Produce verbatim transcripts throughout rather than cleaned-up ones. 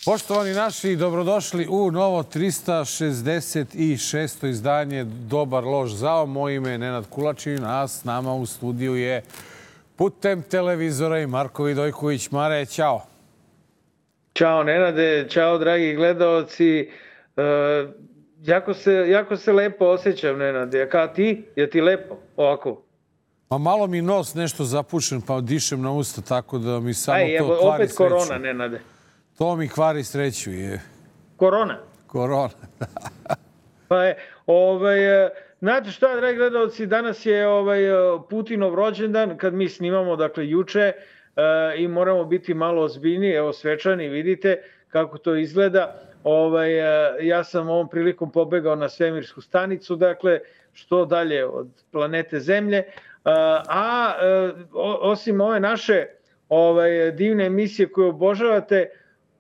Poštovani naši, dobrodošli u novo trista šezdeset šesto izdanje Dobar loš zao. Moje ime je Nenad Kulačin, a s nama u studiju je putem televizora i Marko Vidojković. Mare, ćao. Ćao Nenade, ćao dragi gledaoci. E, jako, se, jako se lepo osjećam, Nenade. Kao ti? Je ti lepo ovako? Ma malo mi nos nešto zapušen, pa dišem na usta, tako da mi samo Aj, to evo, kvari opet sreću. korona, Nenade. To mi kvari sreću je. Korona? Korona. Pa je, ovaj, znate šta, dragi gledalci, danas je ovaj, Putinov rođendan, kad mi snimamo, dakle, juče, i moramo biti malo ozbiljniji, evo, svečani, vidite kako to izgleda. Ovaj, ja sam ovom prilikom pobegao na svemirsku stanicu, dakle, što dalje od planete Zemlje. A, a osim ove naše ovaj, divne emisije koje obožavate,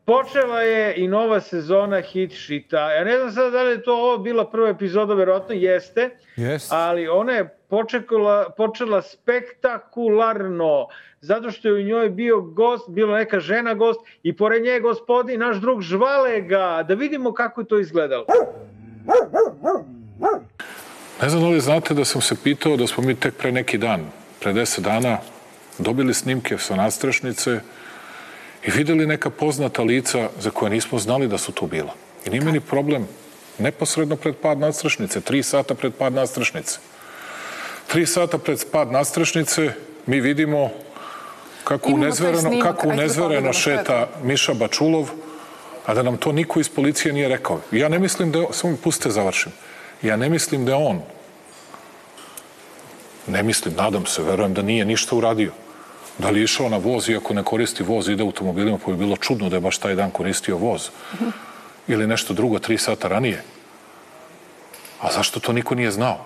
počela je i nova sezona Hit Shita. Ja ne znam sada da li je to ovo bila prva epizoda, verovatno jeste, Yes. ali ona je počekala, počela spektakularno, zato što je u njoj bio gost, bila neka žena gost i pored nje je gospodin, naš drug Žvalega. Da vidimo kako je to izgledalo. Ne znam da li znate da sam se pitao da smo mi tek pre neki dan, pre deset dana, dobili snimke sa nadstrešnice i videli neka poznata lica za koje nismo znali da su tu bila. I nije meni problem neposredno pred pad nadstrešnice, tri sata pred pad nadstrešnice. Tri sata pred pad nadstrešnice mi vidimo kako unezvereno, kako unezvereno šeta Miša Bačulov, a da nam to niko iz policije nije rekao. Ja ne mislim da je, samo mi pustite završim, ja ne mislim da je on, ne mislim, nadam se, verujem da nije ništa uradio. Da li je išao na voz, iako ne koristi voz, ide automobilima, pa bi bilo čudno da je baš taj dan koristio voz. Ili nešto drugo, tri sata ranije. A zašto to niko nije znao?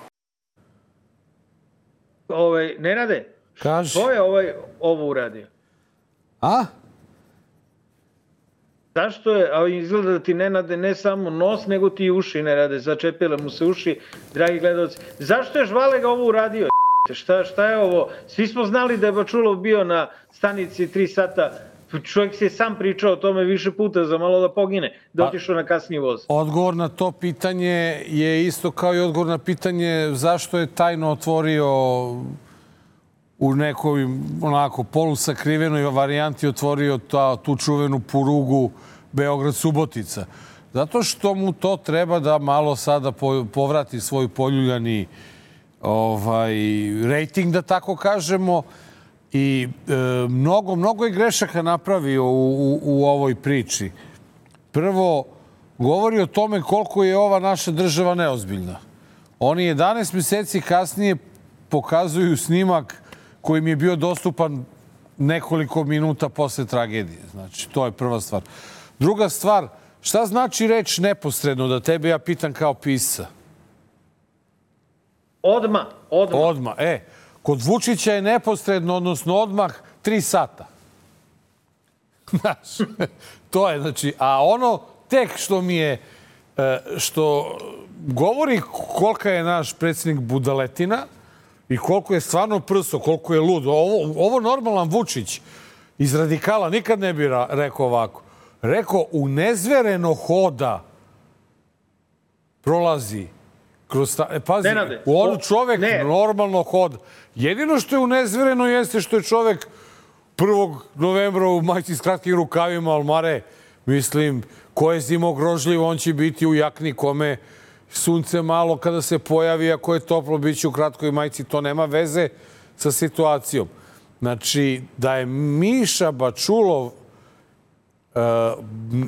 Ovaj, Nenade, Kaži. što je ovaj, ovo uradio? A? Zašto je, a izgleda da ti Nenade ne samo nos, nego ti i uši ne rade, začepile mu se uši, dragi gledalci. Zašto je Žvalega ovo uradio? Šta, šta je ovo? Svi smo znali da je Bačulov bio na stanici tri sata. Čovjek se je sam pričao o tome više puta za malo da pogine, da otišao na kasniji voz. Odgovor na to pitanje je isto kao i odgovor na pitanje zašto je tajno otvorio u nekoj onako polusakrivenoj varijanti otvorio ta, tu čuvenu purugu Beograd-Subotica. Zato što mu to treba da malo sada povrati svoj poljuljani ovaj, rejting, da tako kažemo. I e, mnogo, mnogo je grešaka napravio u, u, u ovoj priči. Prvo, govori o tome koliko je ova naša država neozbiljna. Oni jedanaest mjeseci kasnije pokazuju snimak koji mi je bio dostupan nekoliko minuta posle tragedije. Znači, to je prva stvar. Druga stvar, šta znači reč neposredno, da tebe ja pitam kao pisca? Odma, odma. Odma, e. Kod Vučića je neposredno, odnosno odmah, tri sata. Znaš, to je, znači, a ono tek što mi je, što govori kolika je naš predsjednik budaletina i koliko je stvarno prso, koliko je lud. Ovo, ovo normalan Vučić iz radikala nikad ne bi rekao ovako. Rekao, unezvereno hoda prolazi kroz ta... E, pazi, Nenade, on čovek ne. normalno hoda. Jedino što je unezvereno jeste što je čovek prvog novembra u majici s kratkim rukavima, ali Mare, mislim, ko je zimogrožljiv, on će biti u jakni kome sunce malo kada se pojavi, ako je toplo, bit će u kratkoj majici. To nema veze sa situacijom. Znači, da je Miša Bačulov Uh,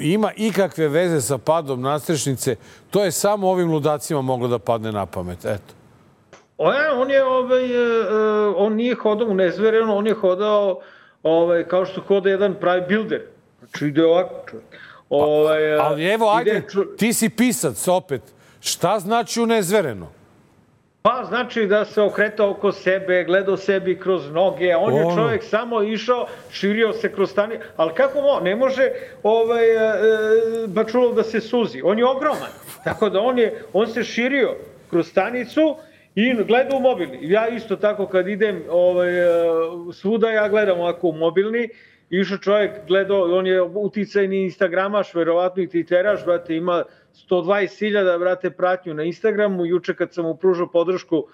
ima ikakve veze sa padom nadstrešnice, to je samo ovim ludacima moglo da padne na pamet. Eto. O, ja, on je, ovaj, uh, on nije hodao unezvereno, on je hodao ovaj, kao što hoda jedan pravi builder. Znači ide ovako čovjek. Ovaj, pa, ali evo, ajde, ču... ti si pisac opet. Šta znači unezvereno? Pa znači da se okretao oko sebe, gledao sebi kroz noge, on je čovjek samo išao, širio se kroz stani, ali kako mo, ne može ovaj, e, Bačulov da se suzi, on je ogroman, tako da on, je, on se širio kroz stanicu i gleda u mobilni. Ja isto tako kad idem ovaj, svuda, ja gledam ovako u mobilni išao čovjek, gledao, on je uticajni instagramaš, verovatno i twitteraš, brate, ima sto dvadeset hiljada, brate, pratnju na Instagramu. Juče kad sam mu pružao podršku,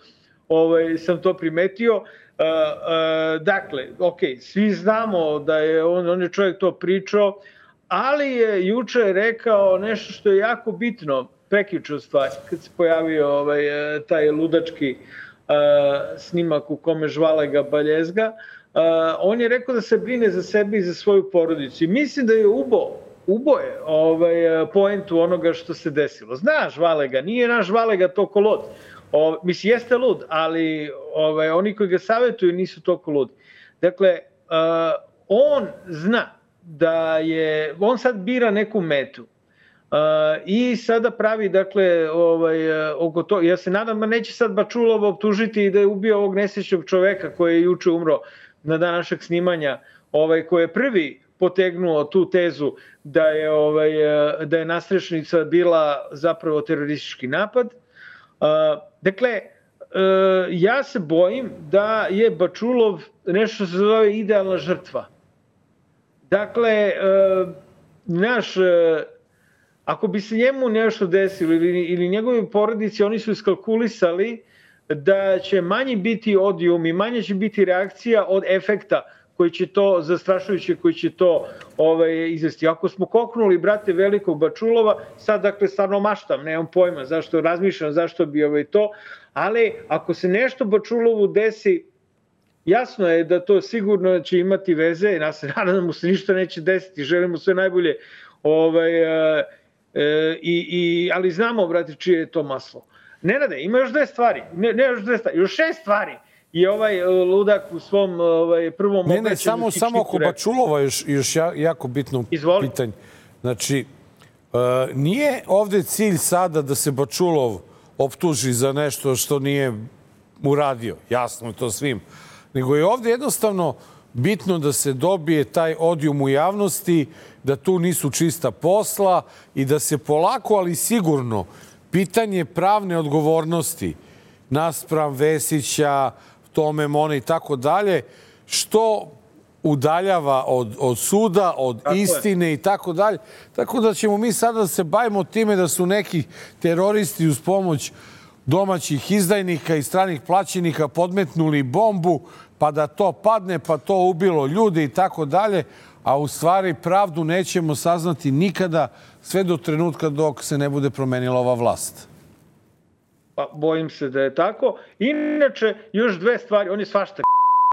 ovaj, sam to primetio. Uh, uh, dakle, ok, svi znamo da je on, on je čovjek to pričao, ali je juče rekao nešto što je jako bitno, prekjuče u stvari, kad se pojavio ovaj, taj ludački uh, snimak u kome žvale ga baljezga. Uh, on je rekao da se brine za sebe i za svoju porodicu. I mislim da je ubo, ubo je ovaj, poentu onoga što se desilo. Zna Žvalega, nije naš Žvalega toliko lud. O, mislim, jeste lud, ali ovaj, oni koji ga savjetuju nisu toliko ludi. Dakle, uh, on zna da je, on sad bira neku metu. Uh, i sada pravi, dakle, ovaj, oko to, ja se nadam da neće sad Bačulov optužiti da je ubio ovog nesrećnog čoveka koji je juče umro na dan našeg snimanja, ovaj, koji je prvi potegnuo tu tezu da je, ovaj, da je nastrešnica bila zapravo teroristički napad. Uh, dakle, uh, ja se bojim da je Bačulov nešto se zove idealna žrtva. Dakle, uh, naš... Uh, Ako bi se njemu nešto desilo ili, ili njegovi porodici, oni su iskalkulisali da će manji biti odijum i manje će biti reakcija od efekta koji će to, zastrašujuće, koji će to ovaj, izvesti. Ako smo koknuli, brate, velikog Bačulova, sad, dakle, stvarno maštam, nemam pojma zašto, razmišljam zašto bi ovaj to, ali ako se nešto Bačulovu desi, jasno je da to sigurno će imati veze, ja se nadam da mu se ništa neće desiti, želim mu sve najbolje, ovaj, E, i, i, ali znamo, brate, čije je to maslo. Nenade, ima još dve stvari, ne, ne još dve stvari, još šest stvari je ovaj ludak u svom ovaj, prvom obraćanju. Ne, ne, samo, samo oko Bačulova još, još jako bitno Izvoli. pitanje. Znači, uh, nije ovde cilj sada da se Bačulov optuži za nešto što nije uradio, jasno je to svim, nego je ovde jednostavno bitno da se dobije taj odijum u javnosti, da tu nisu čista posla i da se polako, ali sigurno, pitanje pravne odgovornosti naspram Vesića, Tome Mone i tako dalje, što udaljava od, od suda, od tako istine je. I tako dalje. Tako da ćemo mi sada da se bavimo time da su neki teroristi uz pomoć domaćih izdajnika i stranih plaćenika podmetnuli bombu, pa da to padne, pa to ubilo ljudi i tako dalje, a u stvari pravdu nećemo saznati nikada sve do trenutka dok se ne bude promenila ova vlast. Pa bojim se da je tako. Inače, još dve stvari, on je svašta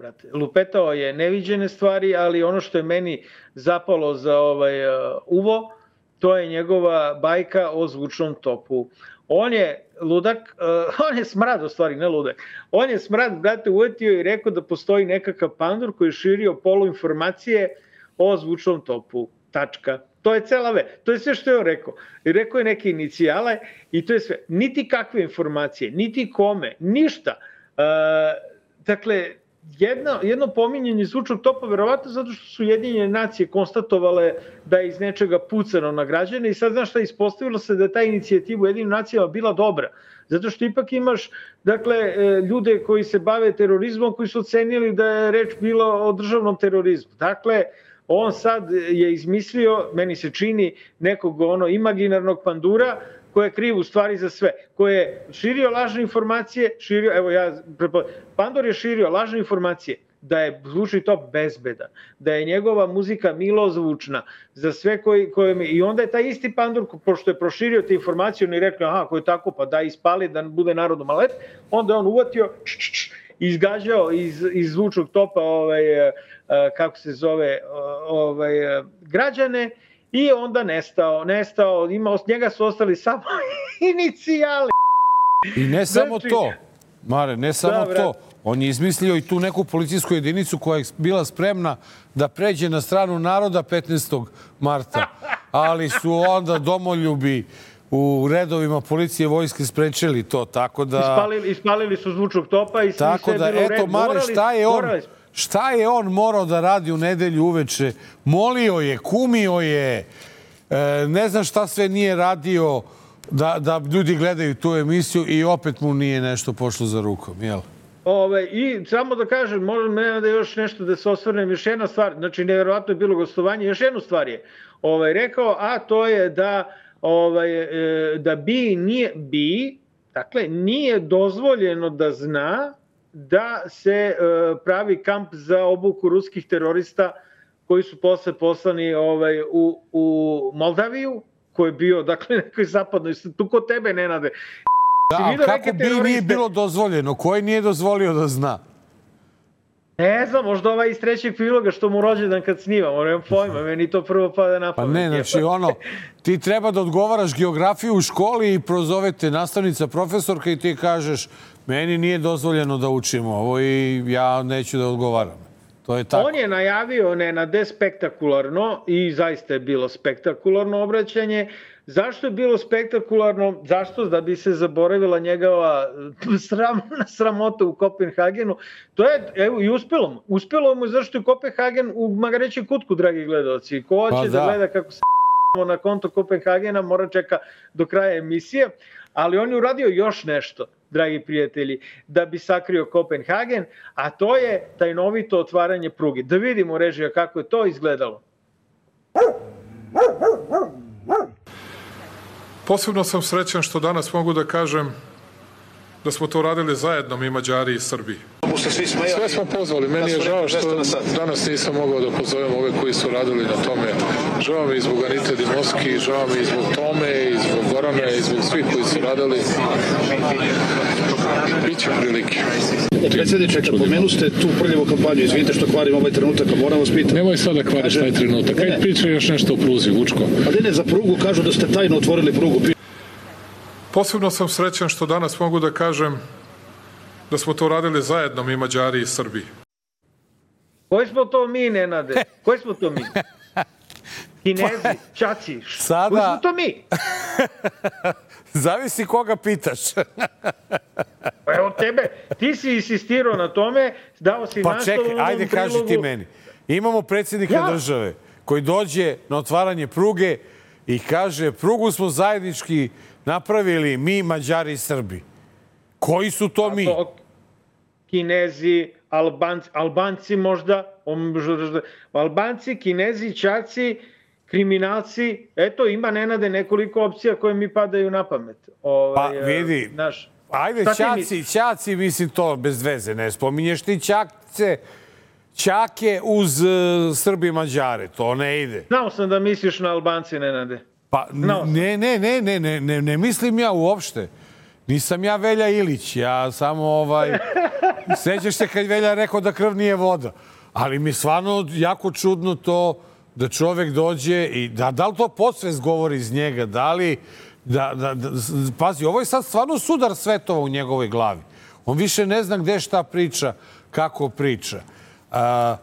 brate. Lupetao je neviđene stvari, ali ono što je meni zapalo za ovaj uh, uvo, to je njegova bajka o zvučnom topu. On je ludak, uh, on je smrad u stvari, ne ludak. On je smrad, brate, uvetio i rekao da postoji nekakav pandur koji je širio poluinformacije o zvučnom topu. Tačka. To je cela ve. To je sve što je on rekao. I rekao je neke inicijale i to je sve. Niti kakve informacije, niti kome, ništa. Uh, dakle, Jedno, jedno pominjanje zvučnog topa, verovatno zato što su Ujedinjene nacije konstatovale da je iz nečega pucano na građane i sad znaš šta, ispostavilo se da je ta inicijativa Ujedinjenim nacijama bila dobra. Zato što ipak imaš dakle, ljude koji se bave terorizmom koji su ocenili da je reč bila o državnom terorizmu. Dakle, on sad je izmislio, meni se čini, nekog ono imaginarnog pandura koji je kriv u stvari za sve, koji je širio lažne informacije, širio, evo ja, Pandor je širio lažne informacije da je zvučni top bezbedan, da je njegova muzika milozvučna za sve koji, koji i onda je taj isti Pandor, pošto je proširio te informacije, on je rekao, aha, ako je tako, pa da ispali, da bude narodu malet, onda je on uvatio, č, č, č, izgađao iz, iz zvučnog topa, ovaj, kako se zove, ovaj, građane, i onda nestao, nestao, ima, od njega su ostali samo inicijali. I ne samo znači, to, Mare, ne samo da, to. On je izmislio i tu neku policijsku jedinicu koja je bila spremna da pređe na stranu naroda petnaestog marta. Ali su onda domoljubi u redovima policije vojske sprečili to, tako da... Ispalili, ispalili su zvučnog topa i svi tako sve da, bilo u redu. Eto, Mare, šta je on... Morali... Šta je on morao da radi u nedelju uveče? Molio je, kumio je, ne znam šta sve nije radio da, da ljudi gledaju tu emisiju i opet mu nije nešto pošlo za rukom, jel? Ove, I samo da kažem, možda ne da još nešto da se osvrnem, još jedna stvar, znači nevjerovatno je bilo gostovanje, još jednu stvar je ovaj, rekao, a to je da, ovaj, da bi nije, bi, dakle, nije dozvoljeno da zna da se pravi kamp za obuku ruskih terorista koji su posle poslani ovaj, u, u Moldaviju, koji je bio, dakle, nekoj zapadnoj, tu kod tebe, Nenade. Da, ali kako bi nije bilo dozvoljeno? Koji nije dozvolio da zna? Ne znam, možda ovaj iz trećeg priloga što mu rođendan kad snimamo, nemam pojma, meni to prvo pada na pamet. Pa ne, znači ono, ti treba da odgovaraš geografiju u školi i prozovete nastavnica, profesorka i ti kažeš meni nije dozvoljeno da učim ovo i ja neću da odgovaram. To je tako. On je najavio Nenade spektakularno i zaista je bilo spektakularno obraćanje. Zašto je bilo spektakularno? Zašto? Da bi se zaboravila njegova sram, sramota u Kopenhagenu. To je, evo, i uspelo mu. Uspelo mu zašto je Kopenhagen u magarećem kutku, dragi gledalci. Ko hoće pa da. da gleda kako se na konto Kopenhagena, mora čeka do kraja emisije. Ali on je uradio još nešto, dragi prijatelji, da bi sakrio Kopenhagen, a to je tajnovito otvaranje pruge. Da vidimo, režija, kako je to izgledalo. Posebno sam srećan što danas mogu da kažem da smo to radili zajedno mi Mađari i Srbi. Sve smo pozvali. Meni je žao što danas nisam mogao da pozovem ove koji su radili na tome. Žao mi i zbog Anite Dimoski, žao mi i zbog Tome, i zbog Gorana, i zbog svih koji su radili. Biće prilike. Predsjedniče, kad pomenu ste tu prljavu kampanju, izvinite što kvarim ovaj trenutak, a moram vas pitati. Nemoj sada da kvariš taj trenutak. Kaj priča još nešto o pruzi, Vučko? Pa ne, ne, za prugu kažu da ste tajno otvorili prugu. Posebno sam srećan što danas mogu da kažem da smo to radili zajedno mi Mađari i Srbi. Koji smo to mi, Nenade? Koji smo to mi? Kinezi, Čaci, Sada... koji smo to mi? Zavisi koga pitaš. Evo tebe, ti si insistirao na tome, dao si pa nastavu... Pa čekaj, ajde kaži prilogu... ti meni. Imamo predsjednika ja. države koji dođe na otvaranje pruge i kaže prugu smo zajednički napravili mi, Mađari i Srbi. Koji su to mi? To, Kinezi, Albanci, Albanci možda, Albanci, Kinezi, Čaci, kriminalci. Eto, ima, Nenade, nekoliko opcija koje mi padaju na pamet. Ovaj, pa vidi, naš, ajde, Čaci, Čaci, mislim to bez veze, ne spominješ ti Čakce, Čake uz uh, Srbi i Mađare, to ne ide. Znao sam da misliš na Albanci, Nenade. Pa ne, ne, ne, ne, ne, ne, ne mislim ja uopšte. Nisam ja Velja Ilić, ja samo ovaj... Sećaš se kad Velja rekao da krv nije voda. Ali mi stvarno jako čudno to da čovek dođe i da, da li to podsvest govori iz njega, da li... Da, da, da, pazi, ovo je sad stvarno sudar svetova u njegovoj glavi. On više ne zna gde šta priča, kako priča. A,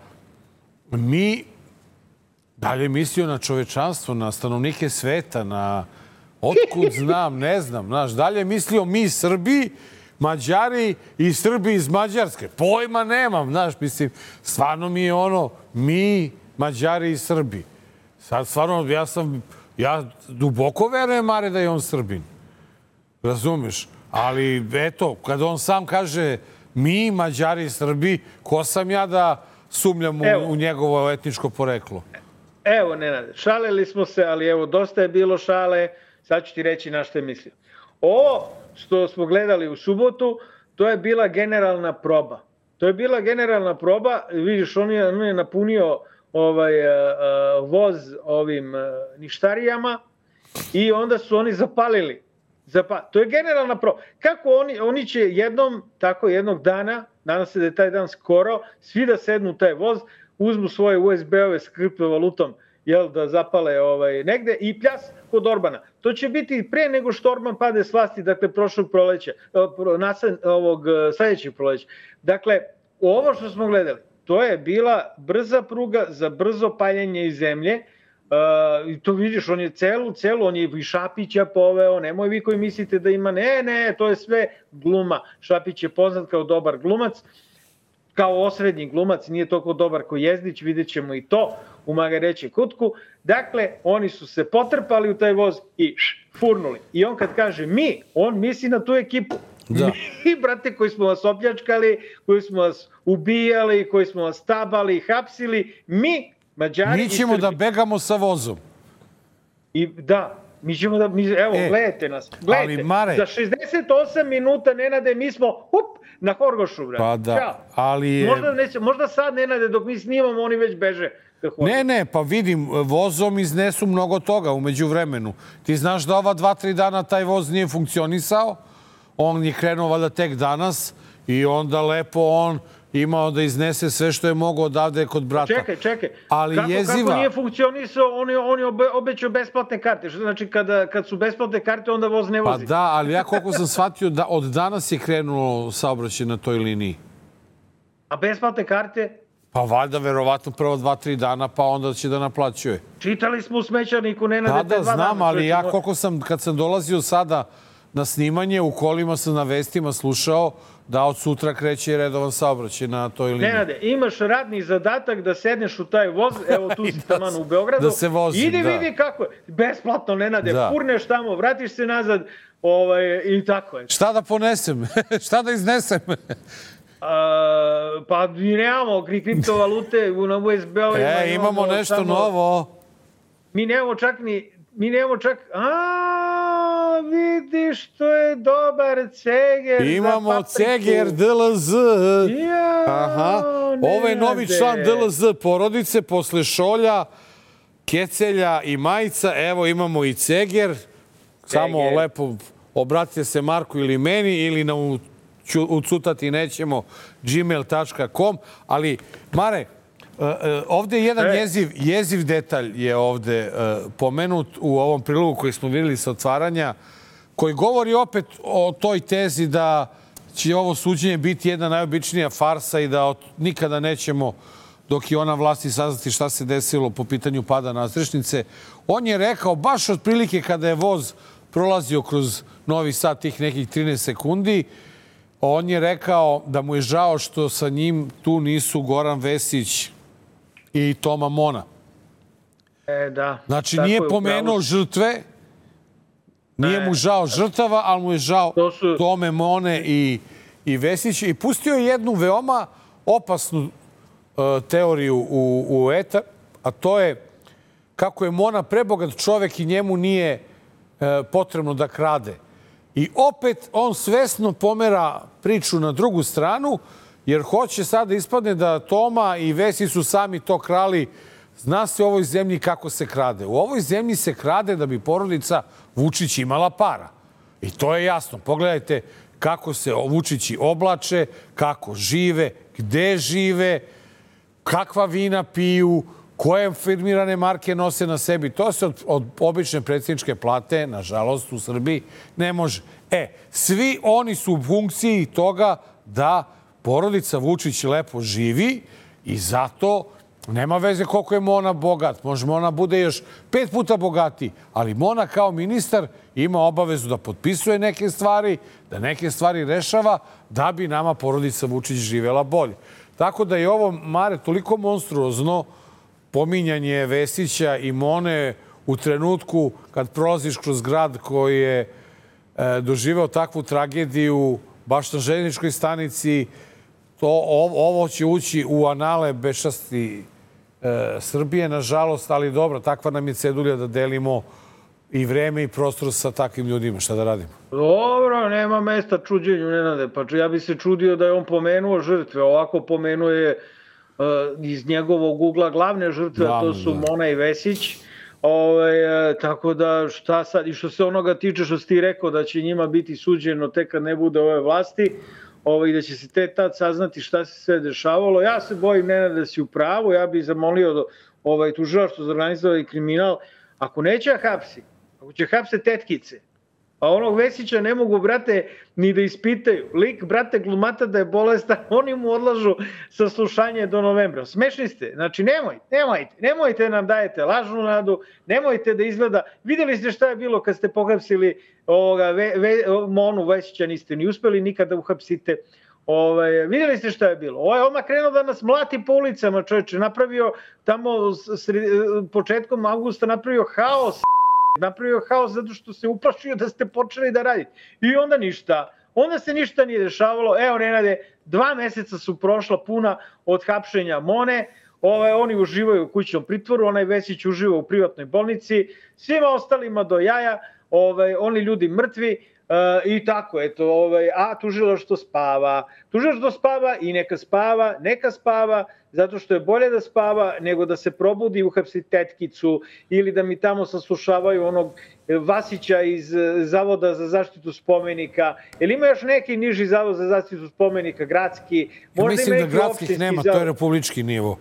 mi... Dalje mislio na čovečanstvo, na stanovnike sveta, na otkud znam, ne znam. Znaš, dalje mislio mi Srbi, Mađari i Srbi iz Mađarske. Pojma nemam, znaš, mislim, stvarno mi je ono, mi, Mađari i Srbi. Sad stvarno, ja sam, ja duboko verujem, Mare, da je on Srbin. Razumeš? Ali, eto, kada on sam kaže mi, Mađari i Srbi, ko sam ja da sumnjam u, u njegovo etničko poreklo? Evo, Nenade, šalili smo se, ali evo, dosta je bilo šale, sad ću ti reći na što je mislio. Ovo što smo gledali u subotu, to je bila generalna proba. To je bila generalna proba, vidiš, on je, on je napunio ovaj, voz ovim ništarijama i onda su oni zapalili. Zapa... To je generalna proba. Kako oni, oni će jednom, tako jednog dana, nadam se da je taj dan skoro, svi da sednu u taj voz, uzmu svoje U S B-ove s kriptovalutom, jel, da zapale ovaj, negde i pljas kod Orbana. To će biti pre nego što Orban pade s vlasti, dakle, prošlog proleća, nasan, ovog sledećeg proleća. Dakle, ovo što smo gledali, to je bila brza pruga za brzo paljenje iz zemlje. Uh, to vidiš, on je celu, celu, on je i Šapića poveo, nemoj vi koji mislite da ima, ne, ne, to je sve gluma. Šapić je poznat kao dobar glumac, kao osrednji glumac, nije toliko dobar ko Jezdić, vidjet ćemo i to u magarećem kutku. Dakle, oni su se potrpali u taj voz i š, furnuli. I on kad kaže mi, on misli na tu ekipu. Da. Mi, brate, koji smo vas opljačkali, koji smo vas ubijali, koji smo vas tabali, hapsili, mi, Mađari... Mi ćemo da begamo sa vozom. I da, mi ćemo da... Mi, evo, e, gledajte nas. Gledajte, ali Mare, za šezdeset osam minuta, Nenade, mi smo up, na Horgošu, brate. Pa da, Ćao. ali... Možda, neće, možda sad, Nenade, dok mi snimamo, oni već beže. Ne, ne, pa vidim, vozom iznesu mnogo toga umeđu vremenu. Ti znaš da ova dva, tri dana taj voz nije funkcionisao, on je krenuo valjda tek danas i onda lepo on imao da iznese sve što je mogao odavde kod brata. Čekaj, čekaj. Ali kako, jeziva... kako nije funkcionisao, on je, on je obe, obećao besplatne karte. Što znači kada, kad su besplatne karte, onda voz ne vozi? Pa da, ali ja koliko sam shvatio da od danas je krenulo saobraćaj na toj liniji. A besplatne karte? Pa valjda, verovatno, prvo dva, tri dana, pa onda će da naplaćuje. Čitali smo u Smećarniku, Nenade, da, te da, dva znam, dana. ali ja koliko sam, kad sam dolazio sada na snimanje, u kolima sam na vestima slušao da od sutra kreće redovan saobraćaj na toj liniji. Nenade, imaš radni zadatak da sedneš u taj voz, evo tu si da, taman u Beogradu. Da se vozim, idi da. vidi kako je. Besplatno, Nenade, da. Furneš tamo, vratiš se nazad ovaj, i tako je. Šta da ponesem? Šta da iznesem? A, pa mi nemamo kriptovalute na U S B-ovima. E, imamo nešto samo, novo. Mi nemamo čak ni... Mi nemamo čak... A, vidiš, to je dobar ceger. Imamo ceger D L Z. Ja, aha. Ovo je novi član D L Z porodice posle šolja, kecelja i majica. Evo imamo i ceger. Samo ceger. Lepo obratite se Marku ili meni ili na ucutati nećemo gmail tačka com. Ali, Mare, ovde je jedan jeziv, jeziv detalj je ovde pomenut u ovom prilogu koji smo vidjeli sa otvaranja, koji govori opet o toj tezi da će ovo suđenje biti jedna najobičnija farsa i da nikada nećemo, dok je ona vlasti, saznati šta se desilo po pitanju pada nadstrešnice. On je rekao, baš otprilike kada je voz prolazio kroz Novi Sad tih nekih trinaest sekundi, on je rekao da mu je žao što sa njim tu nisu Goran Vesić i Toma Mona. E, da. Znači, nije pomenuo žrtve, nije mu žao žrtava, ali mu je žao su... Tome Mone i, i Vesića. I pustio je jednu veoma opasnu uh, teoriju u, u etar, a to je kako je Mona prebogat čovek i njemu nije uh, potrebno da krade. I opet on svesno pomera priču na drugu stranu, jer hoće sada ispadne da Toma i Vesić su sami to krali. Zna se u ovoj zemlji kako se krade. U ovoj zemlji se krade da bi porodica Vučić imala para. I to je jasno. Pogledajte kako se Vučići oblače, kako žive, gde žive, kakva vina piju, koje firmirane marke nose na sebi. To se od, od obične predsjedničke plate, nažalost, u Srbiji ne može. E, svi oni su u funkciji toga da porodica Vučić lepo živi i zato nema veze koliko je Mona bogat. Može Mona bude još pet puta bogatiji, ali Mona kao ministar ima obavezu da potpisuje neke stvari, da neke stvari rešava, da bi nama porodica Vučić živela bolje. Tako da je ovo, Mare, toliko monstruozno pominjanje Vesića i Mone u trenutku kad prolaziš kroz grad koji je e, doživeo takvu tragediju baš na željezničkoj stanici. To, ovo će ući u anale bešasti e, Srbije, nažalost, ali dobro, takva nam je cedulja da delimo i vreme i prostor sa takvim ljudima. Šta da radimo? Dobro, nema mesta čuđenju, Nenade. Pa ja bi se čudio da je on pomenuo žrtve. Ovako pomenuje uh, iz njegovog ugla glavne žrtve, a to su Mona i Vesić. Ove, e, tako da šta sad, i što se onoga tiče što si ti rekao da će njima biti suđeno tek kad ne bude ove vlasti, ovaj, da će se te tad saznati šta se sve dešavalo. Ja se bojim, Nenade, da si u pravu. Ja bih zamolio ovaj, tužilaštvo za organizovani kriminal, ako neće da hapsi, ako će hapse tetkice, a onog Vesića ne mogu, brate, ni da ispitaju. Lik, brate, glumata da je bolestan, oni mu odlažu saslušanje do novembra. Smešni ste. Znači, nemojte, nemojte, nemojte da nam dajete lažnu nadu, nemojte da izgleda... Vidjeli ste šta je bilo kad ste pohapsili ovoga, ve, ve, Monu Vesića, niste ni uspeli nikada da uhapsite. Ovaj, vidjeli ste šta je bilo? Ovaj odmah krenuo da nas mlati po ulicama, čovječe, napravio tamo sred, početkom avgusta napravio haos, napravio haos zato što se uplašio da ste počeli da radite. I onda ništa. onda se ništa nije dešavalo. Evo, Nenade, dva meseca su prošla puna od hapšenja Mone, Ovaj, oni uživaju u kućnom pritvoru, onaj Vesić uživa u privatnoj bolnici, svima ostalima do jaja, ovaj, oni ljudi mrtvi, Uh, i tako, eto, ovaj, a tužilaštvo spava. Tužilaštvo spava i neka spava, neka spava, zato što je bolje da spava nego da se probudi i uhapsi tetkicu ili da mi tamo saslušavaju onog Vasića iz Zavoda za zaštitu spomenika. Ili ima još neki niži zavod za zaštitu spomenika, gradski? Ja mislim da gradskih nema, zavod. To je republički nivo.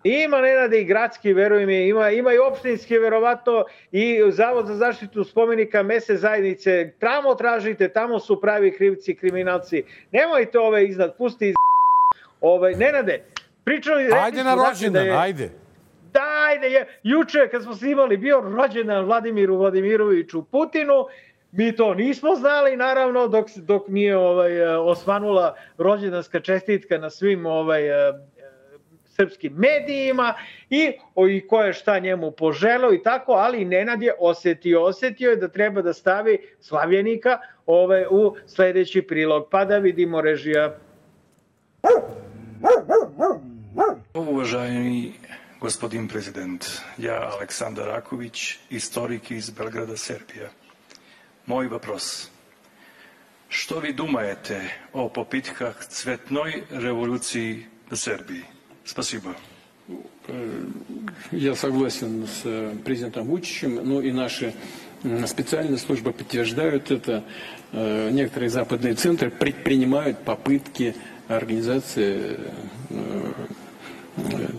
Ima, Nenade, i gradski, veruj mi, ima, ima i opštinski, verovatno, i Zavod za zaštitu spomenika, mesne zajednice. Tamo tražite, tamo su pravi krivci, kriminalci. Nemojte ove iznad, pusti iz... Ove, Nenade, pričali... Ajde na rođendan, da je, ajde. Da, ajde, je, juče kad smo snimali bio rođendan Vladimiru Vladimiroviću Putinu, mi to nismo znali, naravno, dok, dok nije ovaj, osvanula rođendanska čestitka na svim ovaj, srpskim medijima i, o, i ko je šta njemu poželeo i tako, ali Nenad je osetio, osetio je da treba da stavi Slavljenika ove, u sledeći prilog. Pa da vidimo, režija. Uvaženi gospodin prezident, ja Aleksandar Raković, istorik iz Belgrada, Serbija. Moj вопрос. Što vi думаете o popitkах цветной революции в Сербии? Спасибо. Я согласен с президентом Вучичем, но и наши специальные службы подтверждают это. Некоторые западные центры предпринимают попытки организации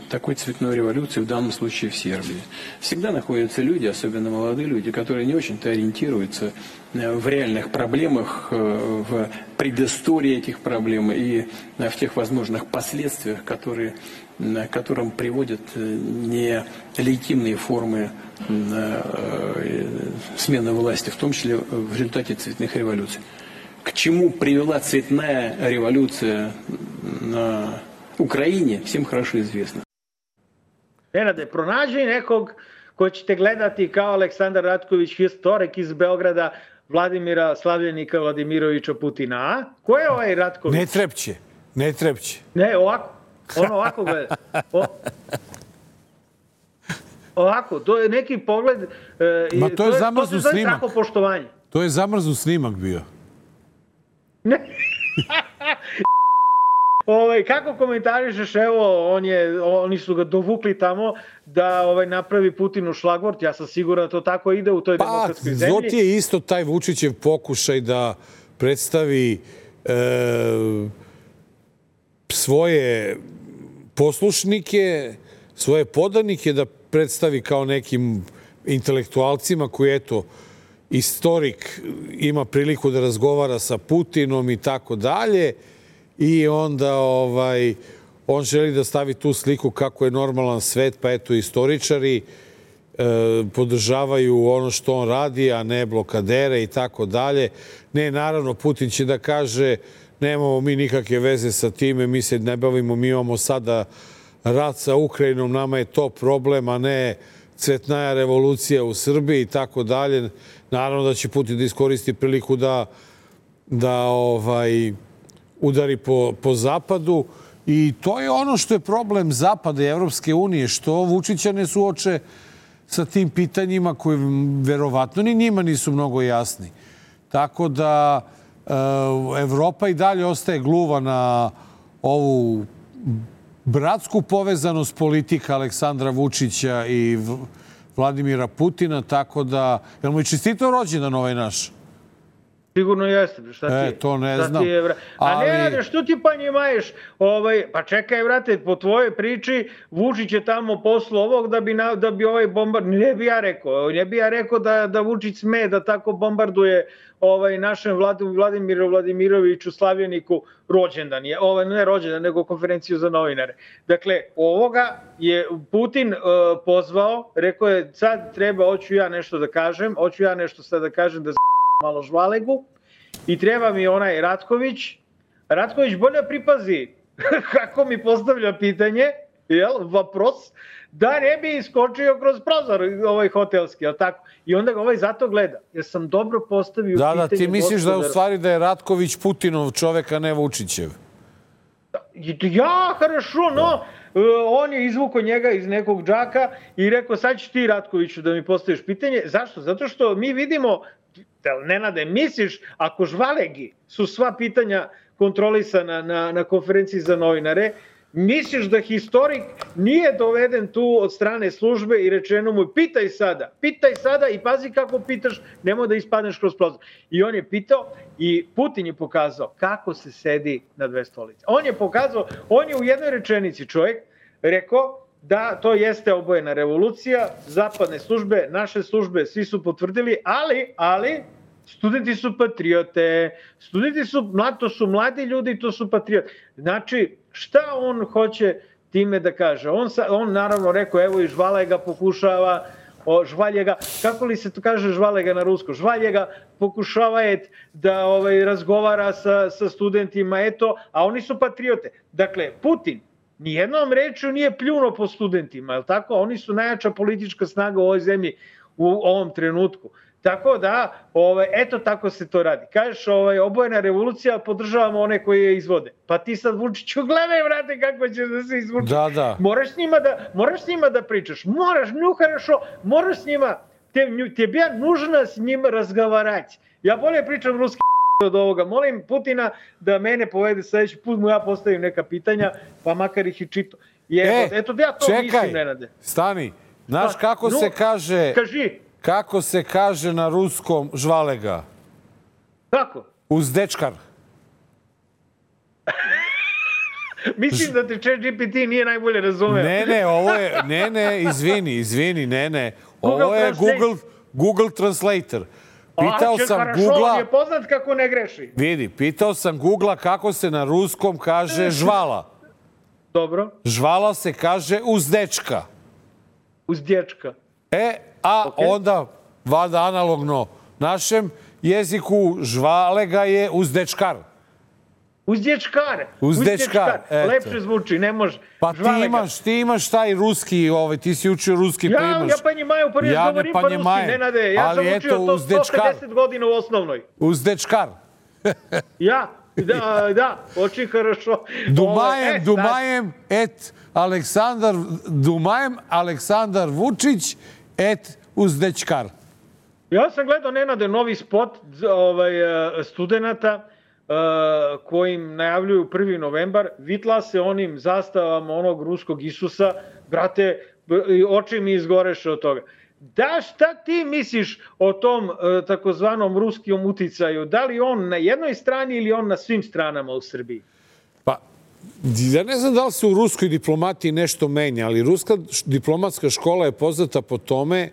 такой цветной революции, в данном случае в Сербии. Всегда находятся люди, особенно молодые люди, которые не очень-то ориентируются в реальных проблемах, в предыстории этих проблем и в тех возможных последствиях, которые, к которым приводят нелегитимные формы смены власти, в том числе в результате цветных революций. К чему привела цветная революция на Ukrajini, всем хорошо известно. Nenade, pronađi nekog ko ćete gledati kao Aleksandar Ratković, historik iz Beograda, Vladimira Slavljenika Vladimirovića Putina, a? Ko je ovaj Ratković? Ne trepće, ne trepće. Ne, ovako, on ovako gleda. O, ovako, to je neki pogled... E, Ma to, to je zamrznut snimak. To je poštovanje. To je zamrznut snimak bio. Ne. Ovaj, kako komentarišeš, evo, on je, oni su ga dovukli tamo da ovaj, napravi Putinu šlagvort. Ja sam siguran da to tako ide u toj pa, demokratskoj zemlji. Pa, Zoti je isto taj Vučićev pokušaj da predstavi e, svoje poslušnike, svoje podanike, da predstavi kao nekim intelektualcima koji, eto, istorik ima priliku da razgovara sa Putinom i tako dalje. I onda ovaj, on želi da stavi tu sliku kako je normalan svet, pa eto istoričari e, podržavaju ono što on radi, a ne blokadere i tako dalje. Ne, naravno, Putin će da kaže nemamo mi nikakve veze sa time, mi se ne bavimo, mi imamo sada rat sa Ukrajinom, nama je to problem, a ne cvetnaja revolucija u Srbiji i tako dalje. Naravno da će Putin da iskoristi priliku da, da ovaj, udari po, po Zapadu i to je ono što je problem Zapada i Evropske unije, što Vučića ne suoče sa tim pitanjima koji verovatno ni njima nisu mnogo jasni. Tako da e, Evropa i dalje ostaje gluva na ovu bratsku povezanost politika Aleksandra Vučića i Vladimira Putina, tako da... Jel mu je čestitao rođendan ovaj naš? Sigurno jeste, šta ti je? E, to ne znam. Je, a ali... ne rade, što ti pa njima ješ? Ovaj, pa čekaj, vrate, po tvojoj priči, Vučić je tamo poslao ovog da bi, na, da bi ovaj bombard... Ne bi ja rekao, ne bi ja rekao da, da Vučić sme da tako bombarduje ovaj, našem Vladu, Vladimiru Vladimiroviću Slavljeniku rođendan. Je, ovaj, ne rođendan, nego konferenciju za novinare. Dakle, ovoga je Putin uh, pozvao, rekao je, sad treba, hoću ja nešto da kažem, hoću ja nešto sad da kažem da malo žvalegu i treba mi onaj Ratković. Ratković bolje pripazi kako mi postavlja pitanje, jel, vapros, da ne bi iskočio kroz prozor ovaj hotelski, jel tako? I onda ga ovaj zato gleda. Jer sam dobro postavio da, pitanje... Da, ti misliš gospodara. da u stvari da je Ratković Putinov čovek, a ne Vučićev? Ja, хорошо, no, on je izvukao njega iz nekog džaka i rekao, sad ćeš ti, Ratkoviću, da mi postaviš pitanje. Zašto? Zato što mi vidimo, Nenade, misliš, ako žvalegi su sva pitanja kontrolisana na, na konferenciji za novinare, misliš da historik nije doveden tu od strane službe i rečeno mu, pitaj sada, pitaj sada i pazi kako pitaš, nemoj da ispadneš kroz prozor. I on je pitao i Putin je pokazao kako se sedi na dve stolice. On je pokazao, on je u jednoj rečenici čovjek rekao da to jeste obojena revolucija, zapadne službe, naše službe, svi su potvrdili, ali, ali, studenti su patriote, studenti su, to su mladi ljudi, to su patriote. Znači, šta on hoće time da kaže? On, sa, on naravno rekao, evo i Žvalega pokušava, o, Žvaljega, kako li se to kaže Žvalega na rusko? Žvaljega pokušava et, da ovaj, razgovara sa, sa studentima, eto, a oni su patriote. Dakle, Putin nijednom rečju nije pljuno po studentima, je li tako? Oni su najjača politička snaga u ovoj zemlji u ovom trenutku. Tako da, ovaj, eto tako se to radi. Kažeš, ovaj, obojena revolucija, podržavamo one koji je izvode. Pa ti sad, Vučiću, gledaj, vrate, kako ćeš da se izvuči. Da, da. Moraš s njima da, moraš s njima da pričaš. Moraš, nju хорошо, moraš s njima, te, tebi je nužno s njima razgovarati. Ja bolje pričam ruski od ovoga. Molim Putina da mene povede sljedeći put, mu ja postavim neka pitanja, pa makar ih i čito. Je, e, eto, ja to čekaj, mislim, Nenade. Stani, znaš kako no, se kaže... Kaži. Kako se kaže na ruskom Žvalega? Kako? Uzdečkar. Mislim da te ChatGPT nije najbolje razumeo. Ne, ne, ovo je... Ne, ne, izvini, izvini, ne, ne. Ovo je Google, Google Translator. Pitao A, sam Google-a... Google-a... On je poznat kako ne greši. Vidi, pitao sam Google-a kako se na ruskom kaže žvala. Dobro. Žvala se kaže uzdečka. Uzdečka. E, a okay. onda, valjda analogno našem jeziku, Žvalega je uzdečkar. Uzdečkar. Uzdečkar. Lepše zvuči, ne može. Pa ti imaš, ti imaš taj ruski, ovaj, ti si učio ruski, ja, pa imaš... Ja понимаю, pa ja govorim pa ruski, Nenade. Ja sam učio to sto pedeset godina u osnovnoj. Uzdečkar. Ja, da, da, очень хорошо. Dumajem, e, Dumajem, et Aleksandar, Dumajem, Aleksandar Vučić, et Uzdečkar. Ja sam gledao, Nenade, novi spot ovaj, studenta uh, kojim najavljuju prvi novembar. Vitla se onim zastavama onog ruskog Isusa. Brate, oči mi izgoreše od toga. Da, šta ti misliš o tom uh, takozvanom ruskom uticaju? Da li on na jednoj strani ili on na svim stranama u Srbiji? Pa, ja ne znam da li se u ruskoj diplomatiji nešto menja, ali ruska diplomatska škola je poznata po tome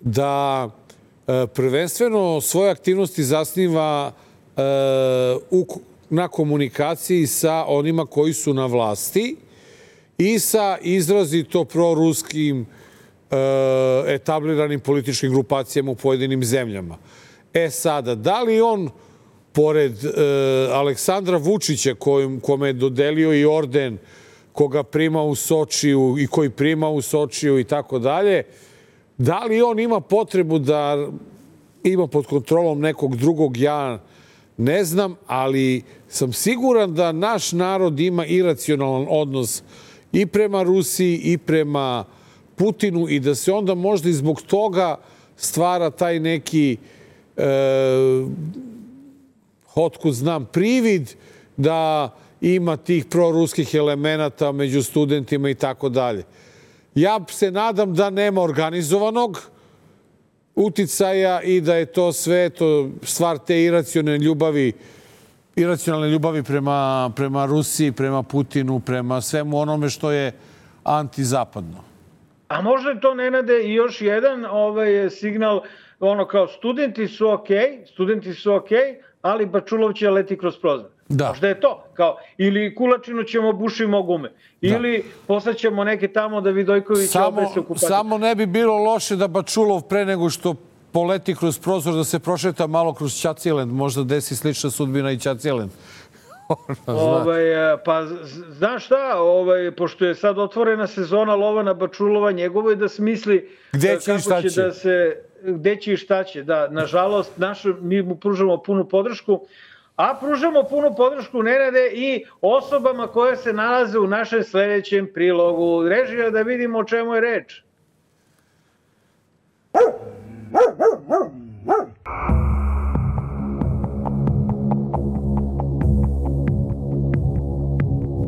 da e, prvenstveno svoje aktivnosti zasniva e, u, na komunikaciji sa onima koji su na vlasti i sa izrazito proruskim e, etabliranim političkim grupacijama u pojedinim zemljama. E sada, da li on pored e, Aleksandra Vučića, kojim, kome je dodelio i orden, koga prima u Sočiju i koji prima u Sočiju i tako dalje, da li on ima potrebu da ima pod kontrolom nekog drugog, ja ne znam, ali sam siguran da naš narod ima iracionalan odnos i prema Rusiji i prema Putinu i da se onda možda i zbog toga stvara taj neki... E, otkud znam, privid da ima tih proruskih elemenata među studentima i tako dalje. Ja se nadam da nema organizovanog uticaja i da je to sve to stvar te iracionalne ljubavi, iracionalne ljubavi prema, prema Rusiji, prema Putinu, prema svemu onome što je antizapadno. A možda je to, Nenade, i još jedan ovaj, signal, ono kao studenti su okej, okay, studenti su okej, okay, ali Bačulov će leti kroz prozor. Da. Možda je to. Kao, ili Kulačinu ćemo bušimo gume. Ili da. Poslaćemo neke tamo da Vidojković opet se okupati. Samo ne bi bilo loše da Bačulov pre nego što poleti kroz prozor da se prošeta malo kroz Ćaciland. Možda desi slična sudbina i Ćaciland. Ovaj, pa znaš šta, ovaj, pošto je sad otvorena sezona Lovana Bačulova, njegovo je da smisli gde će kako će da se, gde će i šta će. Da, nažalost, naš, mi mu pružamo punu podršku, a pružamo punu podršku Nenade i osobama koje se nalaze u našem sledećem prilogu. Režija, da vidimo o čemu je reč.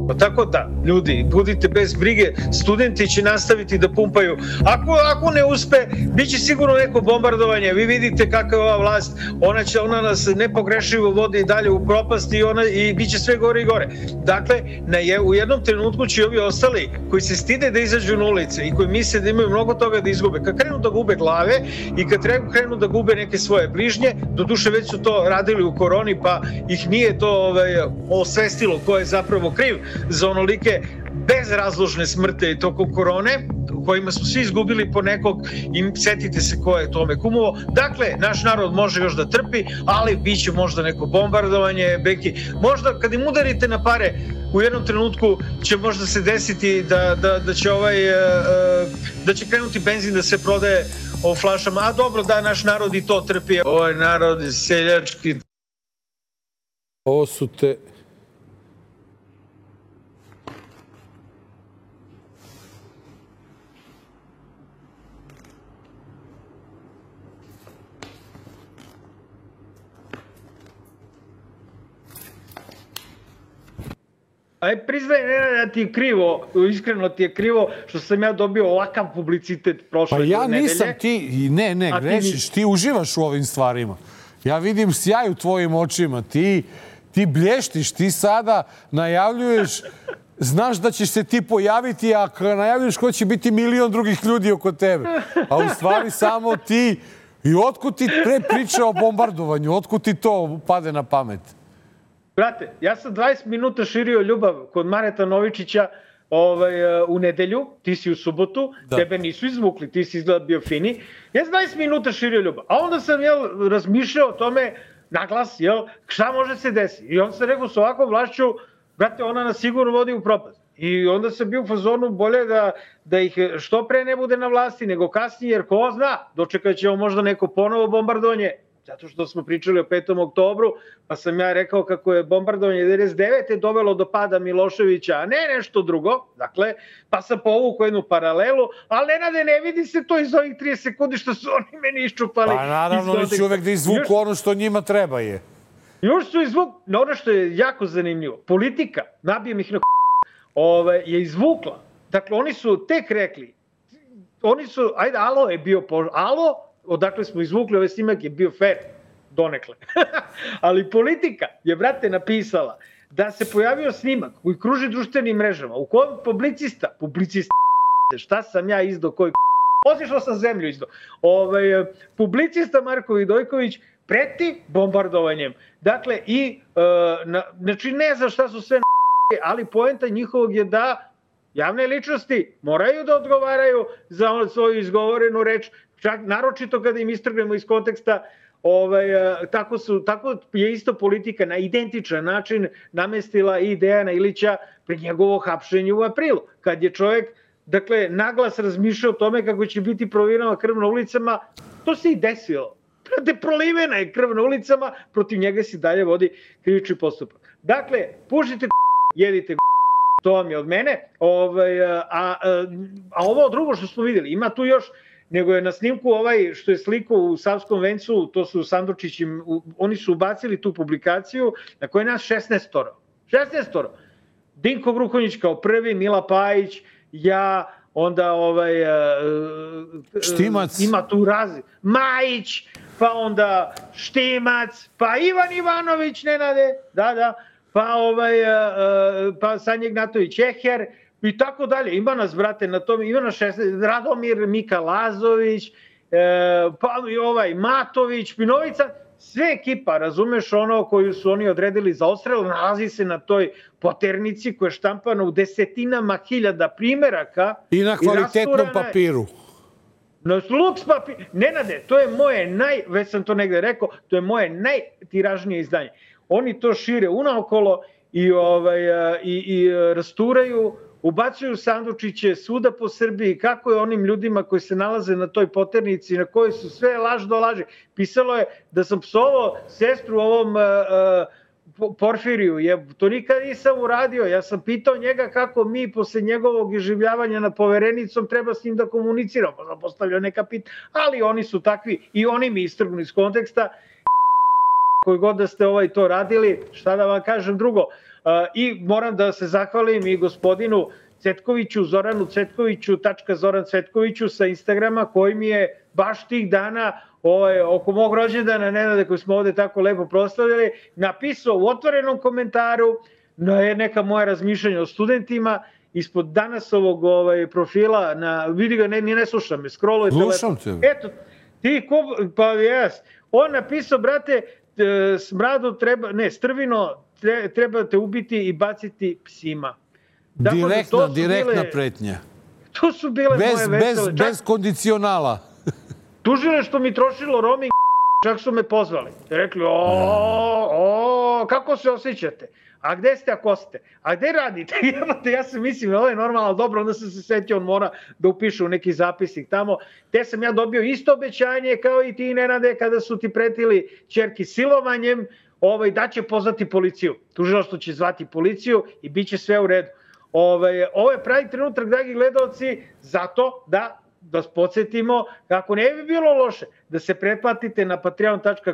Pa tako da, ljudi, budite bez brige, studenti će nastaviti da pumpaju. Ako, ako ne uspe, bit će sigurno neko bombardovanje. Vi vidite kakva je ova vlast, ona, će, ona nas nepogrešivo vodi dalje u propast i, ona, i bit će sve gore i gore. Dakle, na je, u jednom trenutku će ovi ostali koji se stide da izađu na ulice i koji misle da imaju mnogo toga da izgube, kad krenu da gube glave i kad krenu da gube neke svoje bližnje, doduše već su to radili u koroni pa ih nije to ovaj, osvestilo ko je zapravo kriv za onolike bezrazložne smrte tokom korone, u kojima smo svi izgubili po nekog i setite se ko je tome kumovo. Dakle, naš narod može još da trpi, ali bit će možda neko bombardovanje, beki. Možda kad im udarite na pare, u jednom trenutku će možda se desiti da, da, da će ovaj, da će krenuti benzin da se prodaje u flašama. A dobro, da, naš narod i to trpi. Ovaj narod je seljački. Ovo su te... Aj, priznaj, ne, da ti je krivo, iskreno ti je krivo što sam ja dobio ovakav publicitet prošle nedelje. Pa ja nisam, ti, ne, ne, grešiš, ti uživaš u ovim stvarima. Ja vidim sjaj u tvojim očima, ti, ti blještiš, ti sada najavljuješ, znaš da ćeš se ti pojaviti, a kada najavljuješ ko će biti milion drugih ljudi oko tebe. A u stvari samo ti, i otkud ti pre priče o bombardovanju, otkud ti to pade na pamet? Brate, ja sam dvadeset minuta širio ljubav kod Mareta Novičića ovaj, u nedelju, ti si u subotu, da. Tebe nisu izvukli, ti si izgleda bio fini. Ja sam dvadeset minuta širio ljubav, a onda sam jel, razmišljao o tome naglas, jel, šta može se desiti. I onda sam rekao s ovakvom vlašću, brate, ona nas sigurno vodi u propast. I onda sam bio u fazonu bolje da, da ih što pre ne bude na vlasti nego kasnije, jer ko zna, dočekat ćemo možda neko ponovo bombardovanje. Zato što smo pričali o petom oktobru, pa sam ja rekao kako je bombardovanje devedeset devete dovelo do pada Miloševića, a ne nešto drugo. Dakle, pa sam povukao jednu paralelu, ali Nenade, ne vidi se to iz ovih trideset sekundi što su oni meni iščupali. Pa naravno, oni će uvek da izvuku još, ono što njima treba je. Još su izvuku, ono što je jako zanimljivo, politika, nabijem ih na ove, je izvukla. Dakle, oni su tek rekli, oni su, ajde, alo je bio, po, alo, odakle smo izvukli ovaj snimak je bio fair, donekle. Ali politika je, brate, napisala da se pojavio snimak koji kruži društvenim mrežama, u kojem publicista, publicista, šta sam ja izdao, koji otišao sam zemlju izdao, ovaj, publicista Marko Vidojković preti bombardovanjem. Dakle, i, uh, na, znači ne znam šta su sve na ali poenta njihovog je da javne ličnosti moraju da odgovaraju za svoju izgovorenu reč, čak naročito kada im istrgnemo iz konteksta, ovaj, tako, su, tako je isto politika na identičan način namestila i Dejana Ilića pred njegovo hapšenje u aprilu, kad je čovjek, dakle, naglas razmišljao o tome kako će biti provirana krv na ulicama, to se i desilo. Prate, prolivena je krv na ulicama, protiv njega se dalje vodi krivični postupak. Dakle, pušite jedite to vam je od mene, ovaj, a, a, a ovo drugo što smo vidjeli, ima tu još, nego je na snimku ovaj što je sliku u Savskom vencu, to su Sandučići, oni su ubacili tu publikaciju na kojoj je nas šesnaestoro. šesnaestoro. Dinko Gruhonjić kao prvi, Mila Pajić, ja, onda ovaj... Štimac. Ima tu razi. Majić, pa onda Štimac, pa Ivan Ivanović, Nenade, da, da, pa ovaj, pa Sanja Ignatović Eher, i tako dalje. Ima nas, brate, na tom, ima nas šesnaest, Radomir, Mika Lazović, pa i ovaj Matović, Pinovica, sve ekipa, razumeš, ono koju su oni odredili za odstrel, nalazi se na toj poternici koja je štampana u desetinama hiljada primeraka. I na kvalitetnom papiru. Na Lux papir. Nenade, to je moje naj, već sam to negde rekao, to je moje najtiražnije izdanje. Oni to šire unaokolo i, ovaj, i, i rasturaju, ubacuju sandučiće svuda po Srbiji, kako je onim ljudima koji se nalaze na toj poternici, na kojoj su sve laž do laži. Pisalo je da sam psovao sestru ovom uh, Porfiriju. Je, to nikad nisam uradio. Ja sam pitao njega kako mi posle njegovog iživljavanja na poverenicom treba s njim da komuniciramo. Pa sam postavljao neka pitanja, ali oni su takvi i oni mi istrgnu iz konteksta. Koji god da ste ovaj to radili, šta da vam kažem drugo. Uh, I moram da se zahvalim i gospodinu Cvetkoviću, Zoranu Cvetkoviću, tačka Zoran Cvetkoviću sa Instagrama, koji mi je baš tih dana ovaj, oko mog rođendana, Nenade, koji smo ovde tako lepo proslavljali, napisao u otvorenom komentaru na neka moja razmišljanja o studentima, ispod danas ovog ovaj, profila, na, vidi ga, ne, ni ne slušam me, scrolluje telefon. Eto, ti, ko, pa jes, on napisao, brate, smradu treba, ne, strvino trebate ubiti i baciti psima. Dakle, direktna, direktna bile, pretnja. To su bile bez, moje vesele. Bez, bez kondicionala. Tužile što mi trošilo roaming, čak su me pozvali. Rekli, o, o, kako se osjećate? A gde ste ako ste? A gde radite? Ja sam mislim, ovo je normalno, dobro, onda sam se setio, on mora da upiše u neki zapisnik tamo. Te sam ja dobio isto obećanje kao i ti, Nenade, kada su ti pretili ćerki silovanjem, ovaj, da će pozvati policiju. Tužilaštvo će zvati policiju i bit će sve u redu. Ovaj, ovo je pravi trenutak, dragi gledalci, zato da da vas podsjetimo kako ne bi bilo loše da se pretplatite na patreon tačka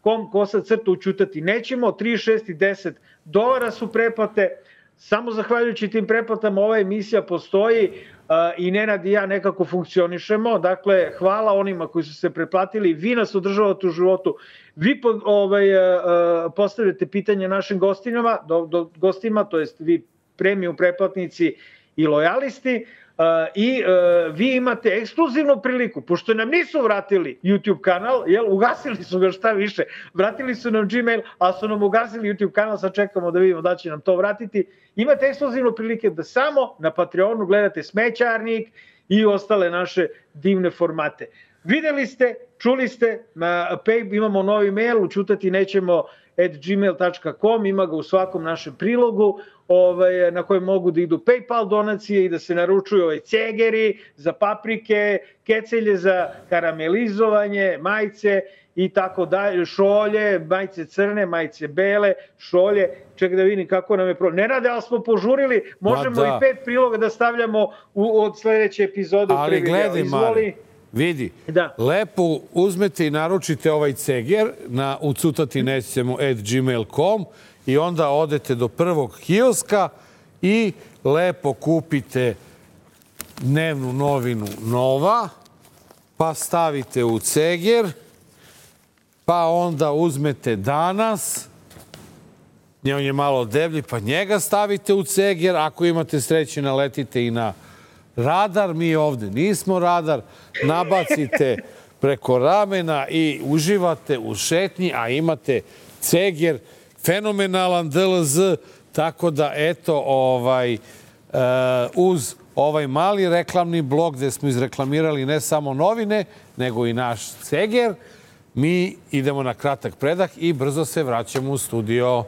com kosa crta učutati. Nećemo, tri, šest i deset dolara su pretplate. Samo zahvaljujući tim pretplatama ova emisija postoji uh, i Nenad i ja nekako funkcionišemo. Dakle, hvala onima koji su se pretplatili. Vi nas održavate u životu. Vi po, ovaj, uh, postavljate pitanje našim gostinama, do, do, gostima, to jest vi premium pretplatnici i lojalisti. Uh, I uh, vi imate ekskluzivnu priliku, pošto nam nisu vratili YouTube kanal, jel, ugasili su ga šta više, vratili su nam Gmail, a su nam ugasili YouTube kanal, sad čekamo da vidimo da će nam to vratiti. Imate ekskluzivnu prilike da samo na Patreonu gledate Smećarnik i ostale naše divne formate. Videli ste, čuli ste, na Pay, imamo novi mail, učutati nećemo at gmail tačka com, ima ga u svakom našem prilogu, ovaj, na kojem mogu da idu PayPal donacije i da se naručuju ovaj cegeri za paprike, kecelje za karamelizovanje, majice i tako dalje, šolje, majice crne, majice bele, šolje, ček da vidim kako nam je pro... Ne rade, ali smo požurili, možemo da. I pet priloga da stavljamo u, od sledeće epizode. Ali gledaj, Mari, vidi, da. Lepo uzmete i naručite ovaj ceger na ucutati nećemo at gmail tačka com i onda odete do prvog kioska i lepo kupite dnevnu novinu Nova, pa stavite u ceger, pa onda uzmete Danas, on je malo deblji, pa njega stavite u ceger, ako imate sreće naletite i na Radar, mi ovde nismo Radar, nabacite preko ramena i uživate u šetnji, a imate ceger, fenomenalan D L Z, tako da eto, ovaj, uz ovaj mali reklamni blok gde smo izreklamirali ne samo novine, nego i naš ceger, mi idemo na kratak predah i brzo se vraćamo u studio.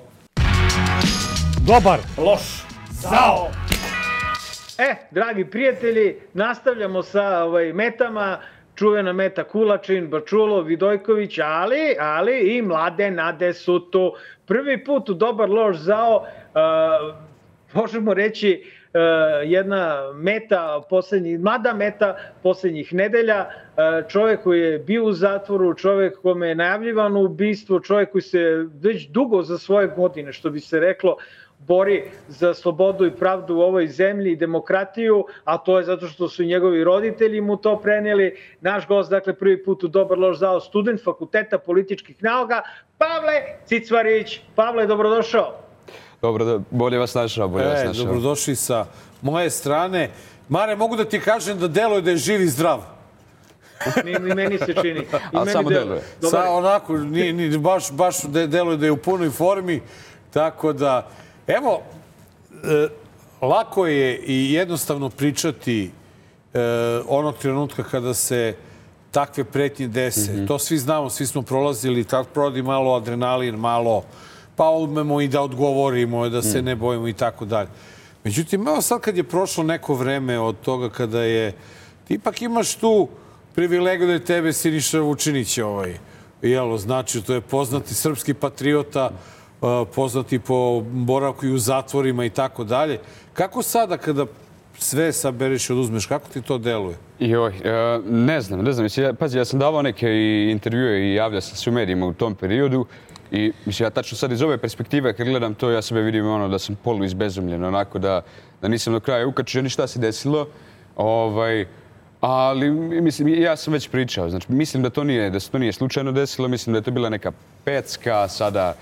Dobar, loš, zao! E, dragi prijatelji, nastavljamo sa ovaj, metama, čuvena meta Kulačin, Bačulo, Vidojković, ali, ali i mlade nade su tu. Prvi put u Dobar, loš, zao, uh, možemo reći, uh, jedna meta, poslednjih, mlada meta poslednjih nedelja, uh, čovjek koji je bio u zatvoru, čovjek kome je najavljivano ubistvo, čovjek koji se već dugo za svoje godine, što bi se reklo, bori za slobodu i pravdu u ovoj zemlji i demokratiju, a to je zato što su njegovi roditelji mu to prenijeli. Naš gost, dakle, prvi put u Dobar, loš, zao, student Fakulteta političkih nauka, Pavle Cicvarić. Pavle, dobrodošao. Dobro, bolje vas našao, bolje vas našao. E, dobrodošli sa moje strane. Mare, mogu da ti kažem da deluje da je živ i zdrav. Mi, mi meni se čini. Ali samo deluje. Sa, onako, ni, ni, baš, baš deluje da je u punoj formi, tako da... Evo, e, lako je i jednostavno pričati e, onog trenutka kada se takve pretnje dese. Mm-hmm. To svi znamo, svi smo prolazili, tako prodi malo adrenalin, malo umemo i da odgovorimo, da se ne bojimo i tako dalje. Međutim, evo sad kad je prošlo neko vreme od toga kada je... Ti ipak imaš tu privilegiju da je tebe Siniša Vučinić ovaj, jelo, znači, to je poznati srpski patriota, poznati po boravku i u zatvorima i tako dalje. Kako sada kada sve sabereš i oduzmeš, kako ti to deluje? Joj, ne znam, ne znam. Pazi, ja sam davao neke intervjue i javljao sam se u medijima u tom periodu i mislim, ja tačno sad iz ove perspektive kad gledam to, ja sebe vidim ono da sam polu izbezumljen, onako da, da nisam do kraja ukačio ni šta se desilo. Ovaj, ali mislim, ja sam već pričao, znači mislim da to nije, da se to nije slučajno desilo, mislim da je to bila neka pecka sada,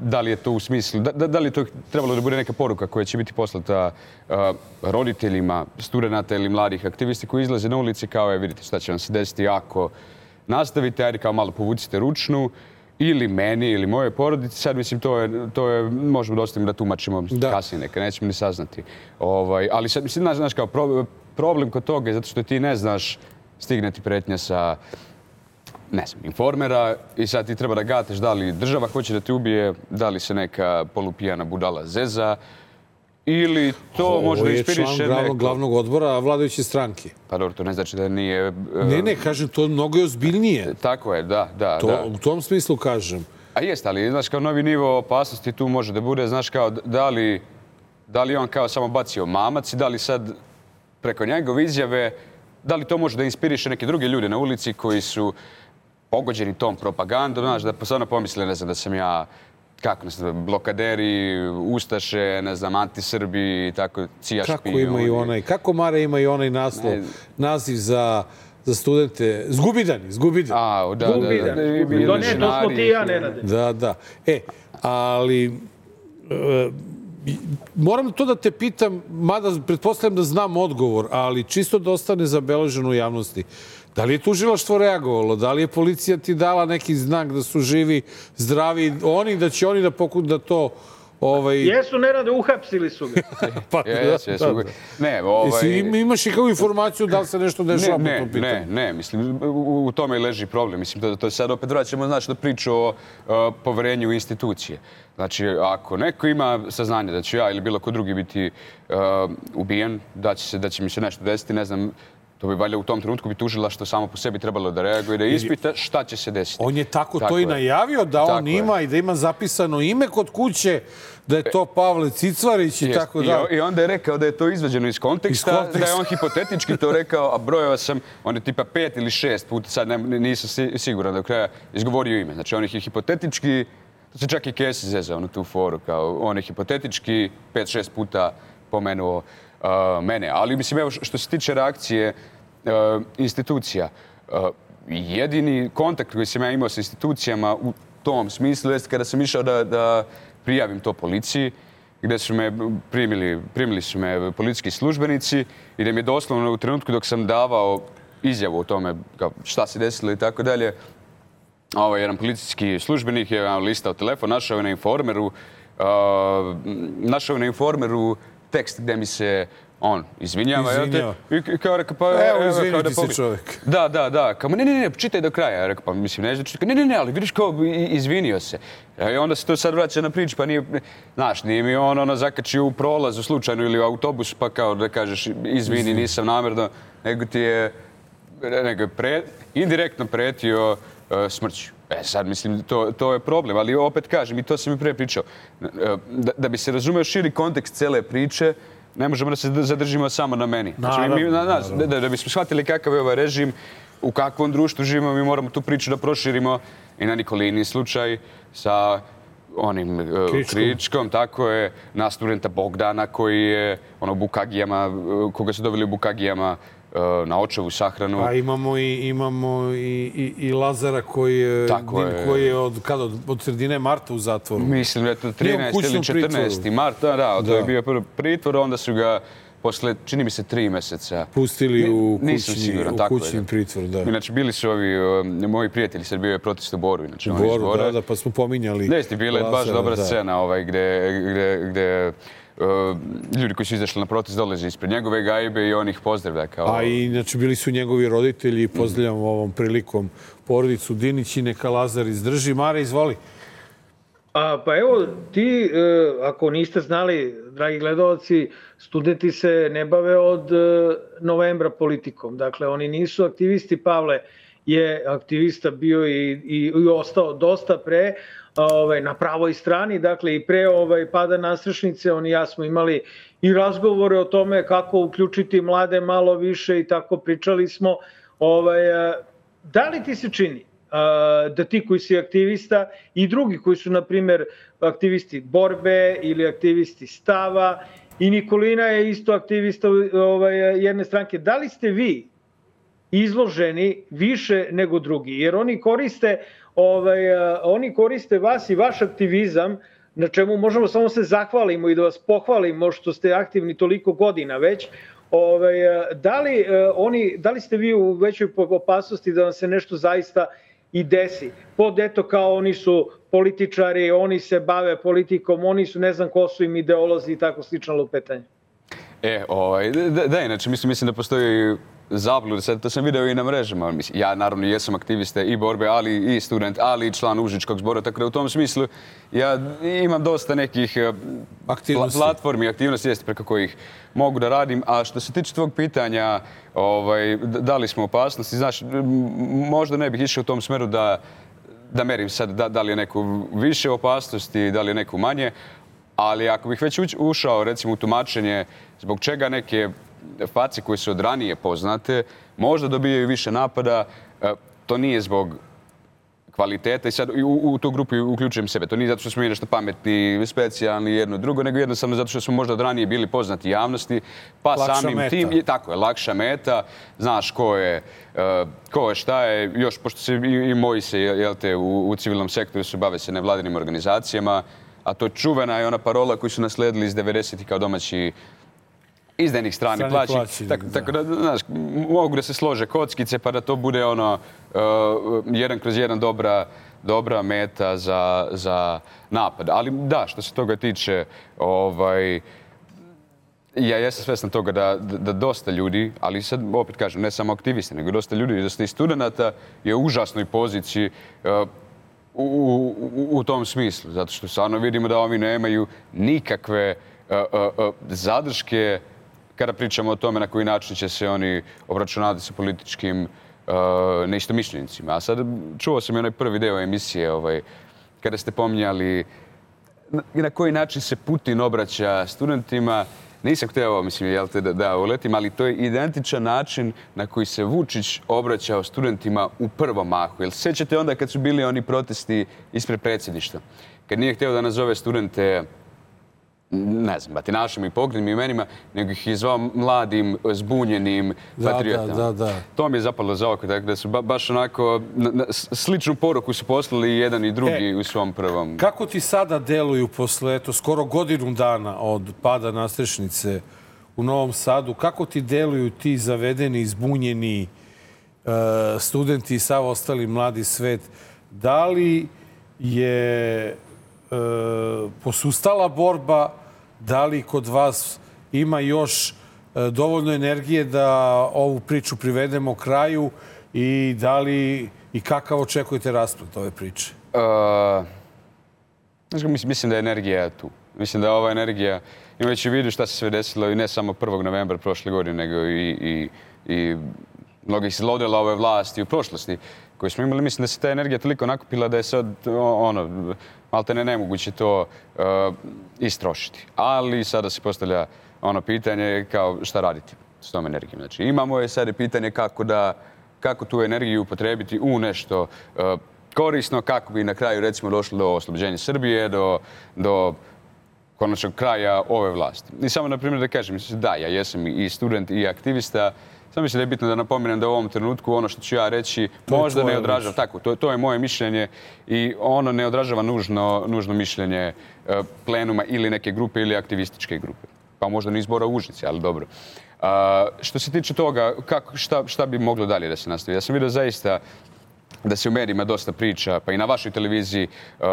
da li je to u smislu, da, da li je to trebalo da bude neka poruka koja će biti poslata uh, roditeljima, studenata ili mladih aktivisti koji izlaze na ulici kao je, vidite šta će vam se desiti ako nastavite, ajde kao malo povucite ručnu, ili meni, ili moje porodici. Sad, mislim, to je, to je možemo da ostavimo da tumačimo da. kasnije neka, nećemo ni saznati. Ovaj, ali sad, mislim, znaš, znaš kao pro, problem kod toga je zato što ti ne znaš, stigne ti pretnja sa, ne znam, Informera i sad ti treba da gateš da li država hoće da te ubije, da li se neka polupijana budala zeza, ili to Ovo može da inspiriše neko... Ovo je član glavnog, glavnog odbora vladajuće stranke. Pa dobro, to ne znači da nije... Uh... Ne, ne, kažem, to mnogo je ozbiljnije. Tako je, da, da. To, da. U tom smislu kažem. A jest, ali, znaš, kao novi nivo opasnosti tu može da bude, znaš, kao da li, da li on kao samo bacio mamac i da li sad preko njegove izjave, da li to može da inspiriše neke druge ljude na ulici koji su pogođeni tom propagandom, znaš, da stvarno pomisle, ne znam, da sam ja, kako ne znam, blokaderi, ustaše, ne znam, antisrbi i tako, cijašpi. Kako ima i onaj, kako Mare ima i onaj naslov, ne, naziv za, za studente, Zgubidani, Zgubidani. A, da, da, da. da, da, da, ne, to smo ti i ja, Nenade. Da, da. E, ali... E, moram to da te pitam, mada pretpostavljam da znam odgovor, ali čisto da ostane zabeleženo u javnosti. Da li je tužilaštvo reagovalo? Da li je policija ti dala neki znak da su živi, zdravi, oni, da će oni da pokušaju da to... Ovaj... Jesu, Nenade, uhapsili su ga. pa, yes, da, jesu. Da, da. Ne, ovaj... Imaš i kao informaciju da li se nešto dešava po tom pitanju? Ne, ne, mislim, u, u tome i leži problem. Mislim, to, to sad opet vraćamo, znači, da priču o uh, poverenju u institucije. Znači, ako neko ima saznanje da ću ja ili bilo ko drugi biti uh, ubijen, da će, se, da će mi se nešto desiti, ne znam, to bi valjda u tom trenutku bi tužilaštvo samo po sebi trebalo da reaguje, da ispita šta će se desiti. On je tako, tako to i najavio, da on ima je. I da ima zapisano ime kod kuće, da je to Pavle Cicvarić i Jest. tako da. I onda je rekao da je to izvađeno iz konteksta, iz konteksta. Da je on hipotetički to rekao, a brojeva sam, on je tipa pet ili šest puta, sad ne, nisam siguran do kraja, izgovorio ime. Znači on je hipotetički, to se čak i Kesi zezao na tu foru, kao on je hipotetički pet šest puta pomenuo Uh, mene. Ali mislim, evo što se tiče reakcije uh, institucija, uh, jedini kontakt koji sam ja imao sa institucijama u tom smislu jest kada sam išao da, da prijavim to policiji, gde su me primili, primili su me policijski službenici i da mi je doslovno u trenutku dok sam davao izjavu o tome kao šta se desilo i tako dalje, ovaj jedan policijski službenik je listao telefon, našao je na Informeru, uh, našao je na Informeru tekst gdje mi se on izvinjava. Izvinjava. I kao rekao, pa... Evo, izviniti se čovjek. Da, da, da. Kao, ne, ne, ne, čitaj do kraja. Ja rekao, pa mislim, ne znači, ne, ne, ne, ali vidiš kao izvinio se. I onda se to sad vraća na priču, pa nije, znaš, nije mi on ono zakačio u prolazu slučajno ili u autobus, pa kao da kažeš, izvini, nisam namjerno, nego ti je, nego je pre, indirektno pretio uh, smrću. E sad, mislim, to, to je problem, ali opet kažem, i to sam i pre pričao, da, da bi se razumeo širi kontekst cele priče, ne možemo da se zadržimo samo na meni. Znači, mi, na, nas, da, da bismo shvatili kakav je ovaj režim, u kakvom društvu živimo, mi moramo tu priču da proširimo i na Nikolini slučaj sa onim uh, Kričkom. Kričkom, tako je, na studenta Bogdana koji je ono, u Bukagijama, uh, koga su doveli u Bukagijama, na očevu sahranu. A imamo i, imamo i, i, i Lazara koji je, je. koji je od, kada, od, od sredine marta u zatvoru. Mislim da je to trinaesti ili četrnaesti marta. Da, da, to je bio prvi pritvor, onda su ga posle, čini mi se, tri meseca pustili u kućni, siguran, u kućni pritvor. Da. Inače, bili su ovi uh, moji prijatelji, sad bio je protest u Boru. Inače, Boru, da, da, pa smo pominjali. Jeste, bila je baš dobra da. scena ovaj, gde, gde, gde Uh, ljudi koji su izašli na protest dolaze ispred njegove gajbe i on ih pozdravlja. Kao... A i znači bili su njegovi roditelji i pozdravljam mm. ovom prilikom porodicu Dinić i neka Lazar izdrži. Mare, izvoli. A, pa evo, ti, ako niste znali, dragi gledalci, studenti se ne bave od novembra politikom. Dakle, oni nisu aktivisti. Pavle je aktivista bio i, i, i ostao dosta pre, ovaj, na pravoj strani. Dakle, i pre ovaj, pada nastrešnice, oni i ja smo imali i razgovore o tome kako uključiti mlade malo više i tako pričali smo. Ovaj, da li ti se čini da ti koji si aktivista i drugi koji su, na primjer, aktivisti borbe ili aktivisti stava, i Nikolina je isto aktivista ovaj, jedne stranke, da li ste vi izloženi više nego drugi? Jer oni koriste, ovaj, oni koriste vas i vaš aktivizam, na čemu možemo samo se zahvalimo i da vas pohvalimo što ste aktivni toliko godina već. Ovaj, da, li, oni, da li ste vi u većoj opasnosti da vam se nešto zaista i desi? Pod eto kao oni su političari, oni se bave politikom, oni su ne znam ko su im ideolozi i tako slično lupetanje. E, ovaj, da, da, inače mislim, mislim da postoji zabluda, sad to sam video i na mrežama. Ja naravno jesam aktivista i borbe, ali i student, ali i član Užičkog zbora, tako da u tom smislu ja imam dosta nekih aktivnosti. platformi, aktivnosti jeste preko kojih mogu da radim. A što se tiče tvog pitanja, ovaj, da li smo u opasnosti, znaš, možda ne bih išao u tom smeru da, da merim sad da, da li je neko više opasnosti, da li je neko manje, ali ako bih već ušao recimo u tumačenje zbog čega neke face koje su od ranije poznate možda dobijaju više napada, to nije zbog kvaliteta i sad u, u tu grupu uključujem sebe. To nije zato što smo mi nešto pametni, specijalni, jedno drugo, nego jednostavno zato što smo možda od ranije bili poznati javnosti, pa lakša samim meta. Tim, je, tako je, lakša meta, znaš ko je, uh, ko je šta je, još pošto se i, i moji se, jel te, u, u civilnom sektoru se bave se nevladinim organizacijama, a to je čuvena je ona parola koju su nasledili iz devedesetih kao domaći izdajnih strani plaći. plaći tako, da. tako da, znaš, mogu da se slože kockice pa da to bude ono uh, jedan kroz jedan dobra, dobra meta za, za napad. Ali da, što se toga tiče, ovaj, ja jesam svjestan toga da, da, da dosta ljudi, ali sad opet kažem, ne samo aktivisti, nego dosta ljudi, dosta i studenta je u užasnoj poziciji uh, u, u, u tom smislu. Zato što stvarno vidimo da ovi nemaju nikakve uh, uh, uh, zadrške kada pričamo o tome na koji način će se oni obračunati sa političkim uh, neistomišljenicima. A sad čuo sam i onaj prvi deo emisije ovaj, kada ste pominjali na, na koji način se Putin obraća studentima. Nisam hteo, mislim, jel te, da, da uletim, ali to je identičan način na koji se Vučić obraćao studentima u prvom mahu. Jel sećate onda kad su bili oni protesti ispred predsjedništva? Kad nije hteo da nazove studente, ne znam, batinašima i pogrednim imenima, nego ih je zvao mladim, zbunjenim patriotama. Da, da, da. To mi je zapalo za oko, tako da su ba, baš onako na, na, sličnu poruku su poslali jedan i drugi e, u svom prvom. Kako ti sada deluju posle, eto, skoro godinu dana od pada nastrešnice u Novom Sadu, kako ti deluju ti zavedeni, zbunjeni uh, studenti i sav ostali mladi svet? Da li je uh, posustala borba? Da li kod vas ima još dovoljno energije da ovu priču privedemo kraju i da li i kakav očekujete rasplet ove priče? Uh, mislim da je energija tu. Mislim da je ova energija, imajući u vidu šta se sve desilo i ne samo prvog novembra prošle godine, nego i, i, i mnogih zlodela ove vlasti u prošlosti koje smo imali. Mislim da se ta energija toliko nakupila da je sad ono, malte ne nemoguće to uh, istrošiti. Ali sada se postavlja ono pitanje kao šta raditi s tom energijom. Znači, imamo je sad pitanje kako, da, kako tu energiju upotrebiti u nešto uh, korisno, kako bi na kraju recimo došlo do oslobođenja Srbije, do, do konačnog kraja ove vlasti. I samo na primjer da kažem, da, ja jesam i student i aktivista. Samo mislim da je bitno da napomenem da u ovom trenutku ono što ću ja reći možda ne odražava, tako, to, to je moje mišljenje i ono ne odražava nužno, nužno mišljenje uh, plenuma ili neke grupe ili aktivističke grupe. Pa možda ni zbora u Užici, ali dobro. Uh, što se tiče toga, kako, šta, šta bi moglo dalje da se nastavi? Ja sam vidio zaista da se u medijima dosta priča, pa i na vašoj televiziji uh,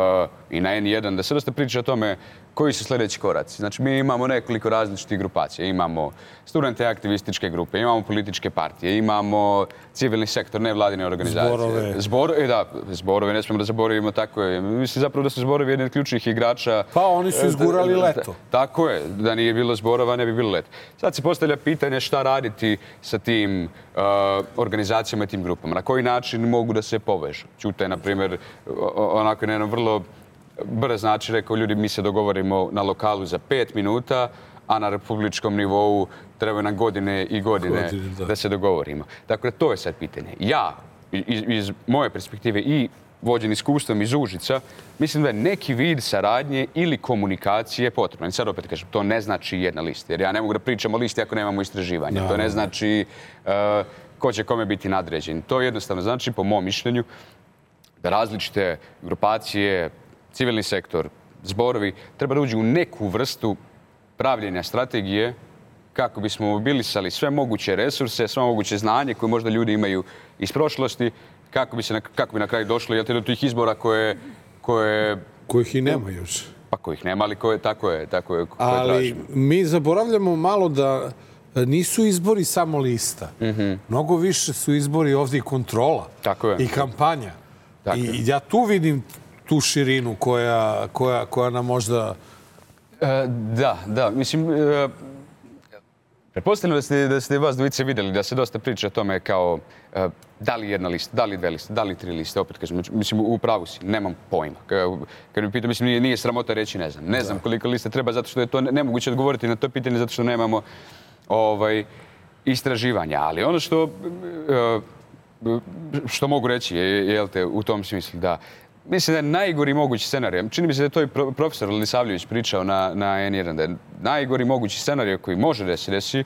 i na N jedan, da se dosta priča o tome koji su sljedeći koraci. Znači, mi imamo nekoliko različitih grupacija. Imamo studente aktivističke grupe, imamo političke partije, imamo civilni sektor, nevladine organizacije. Zborove. Zborove, da, zborove, ne smemo da zaboravimo, tako je. Mislim zapravo da su zborovi jedni od ključnih igrača. Pa oni su izgurali leto. Tako je, da nije bilo zborova, ne bi bilo leto. Sad se postavlja pitanje šta raditi sa tim uh, organizacijama i tim grupama. Na koji način mogu da se povežu. Ćute, na primjer, onako je jedno vrlo brz način rekao, ljudi, mi se dogovorimo na lokalu za pet minuta, a na republičkom nivou trebaju nam godine i godine, godine da. da se dogovorimo. Dakle, to je sad pitanje. Ja, iz, iz moje perspektive i vođen iskustvom iz Užica, mislim da je neki vid saradnje ili komunikacije potrebno. I sad opet kažem, to ne znači jedna lista. Jer ja ne mogu da pričam o listi ako nemamo istraživanja. No. To ne znači uh, ko će kome biti nadređen. To jednostavno znači, po mom mišljenju, da različite grupacije, civilni sektor, zborovi, treba da uđu u neku vrstu pravljenja strategije kako bismo mobilisali sve moguće resurse, sve moguće znanje koje možda ljudi imaju iz prošlosti, kako bi, se na, kako bi na kraju došlo jel, do tih izbora koje, koje... Kojih i nema još. Pa kojih nema, ali koje, tako je. Tako je ali tražimo. Mi zaboravljamo malo da nisu izbori samo lista. Mm-hmm. Mnogo više su izbori ovdje i kontrola. Tako je. I kampanja. Tako I je. ja tu vidim tu širinu koja, koja, koja nam možda... E, da, da. Mislim, e, pretpostavljam da ste, da ste vas dvojice vidjeli da se dosta priča o tome kao e, da li jedna lista, da li dve liste, da li tri liste. Opet kažem, mislim, u pravu si, nemam pojma. Kad mi pitam, mislim, nije, nije sramota reći ne znam. Ne znam koliko liste treba, zato što je to nemoguće odgovoriti na to pitanje, zato što nemamo ovaj, istraživanja. Ali ono što, e, što mogu reći je, jel te, u tom smislu da mislim da je najgori mogući scenarij. Čini mi se da je to i profesor Lisavljević pričao na, na en jedan, da je najgori mogući scenarij koji može da se desi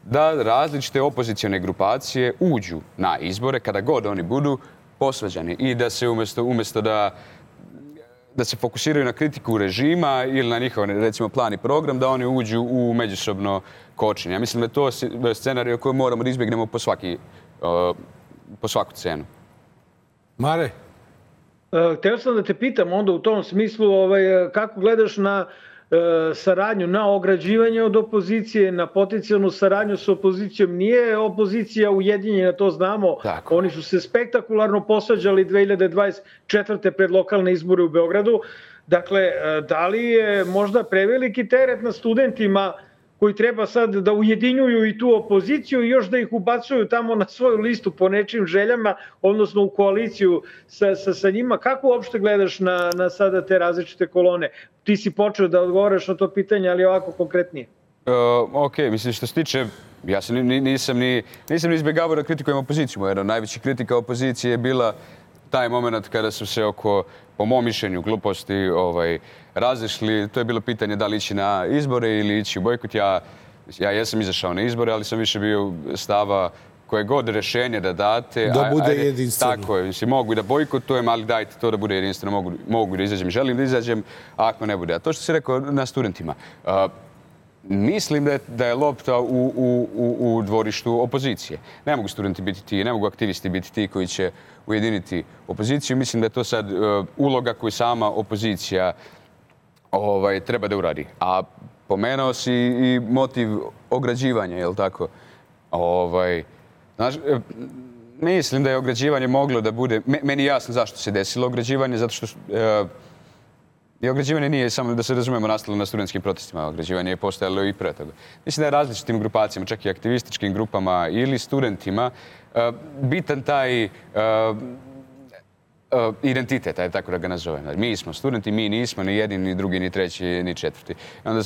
da različite opozicione grupacije uđu na izbore kada god oni budu posvađani i da se umjesto, umjesto da, da se fokusiraju na kritiku režima ili na njihov, recimo, plan i program, da oni uđu u međusobno kočenje. Ja mislim da je to scenarij koji moramo da izbjegnemo po, svaki, uh, po svaku cenu. Mare? Hteo sam da te pitam onda u tom smislu ovaj, kako gledaš na e, saradnju, na ograđivanje od opozicije, na potencijalnu saradnju s opozicijom. Nije opozicija ujedinjena, to znamo. Tako. Oni su se spektakularno posvađali dve hiljade dvadeset četvrte pred lokalne izbore u Beogradu. Dakle, da li je možda preveliki teret na studentima koji treba sad da ujedinjuju i tu opoziciju i još da ih ubacuju tamo na svoju listu po nečim željama, odnosno u koaliciju sa, sa, sa njima. Kako uopšte gledaš na, na sada te različite kolone? Ti si počeo da odgovaraš na to pitanje, ali ovako konkretnije. Uh, ok, mislim što se tiče, ja sam, nisam ni, nisam ni izbjegavao da kritikujem opoziciju. Jedna od najvećih kritika opozicije je bila taj moment kada su se oko, po mom mišljenju, gluposti ovaj, razišli. To je bilo pitanje da li ići na izbore ili ići u bojkot. Ja, ja jesam izašao na izbore, ali sam više bio stava koje god rješenje da date. Da bude ajde, jedinstveno. Tako je. Mislim, mogu da bojkotujem, ali dajte to da bude jedinstveno. Mogu, mogu da izađem, želim da izađem, a ako ne bude. A to što si rekao na studentima. Uh, Mislim da je, da je lopta u, u, u, u dvorištu opozicije. Ne mogu studenti biti ti, ne mogu aktivisti biti ti koji će ujediniti opoziciju. Mislim da je to sad uh, uloga koju sama opozicija ovaj, treba da uradi. A pomenuo si i motiv ograđivanja, je li tako? Ovaj, znaš, mislim da je ograđivanje moglo da bude... Meni je jasno zašto se desilo ograđivanje, zato što... Uh, I ograđivanje nije samo, da se razumemo, nastalo na studentskim protestima. Ograđivanje je postojalo i pre toga. Mislim da je različitim grupacijama, čak i aktivističkim grupama ili studentima, bitan taj identitet, ajde tako da ga nazovem. Mi smo studenti, mi nismo ni jedni, ni drugi, ni treći, ni četvrti. I onda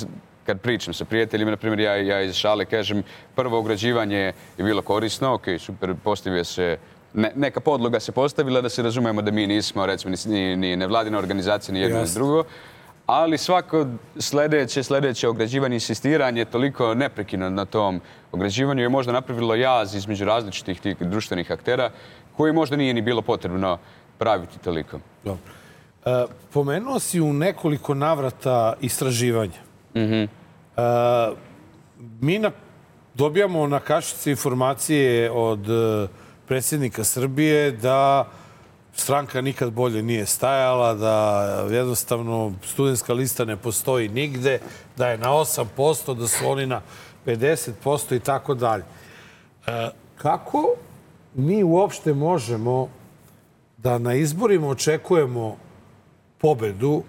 kad pričam sa prijateljima, na primjer, ja, ja iz šale kažem, prvo ograđivanje je bilo korisno, ok, super, postavio se Ne, neka podloga se postavila da se razumemo da mi nismo, recimo, ni, ni nevladina organizacija, ni jedno ni drugo. Ali svako sljedeće, sljedeće ograđivanje, insistiranje toliko neprekino na tom ograđivanju je možda napravilo jaz između različitih tih društvenih aktera koji možda nije ni bilo potrebno praviti toliko. Dobro. E, pomenuo si u nekoliko navrata istraživanja. Mm-hmm. E, mi na, dobijamo na kašici informacije od predsjednika Srbije da stranka nikad bolje nije stajala, da jednostavno studentska lista ne postoji nigde, da je na osam posto, da su oni na pedeset posto i tako dalje. Kako mi uopšte možemo da na izborima očekujemo pobedu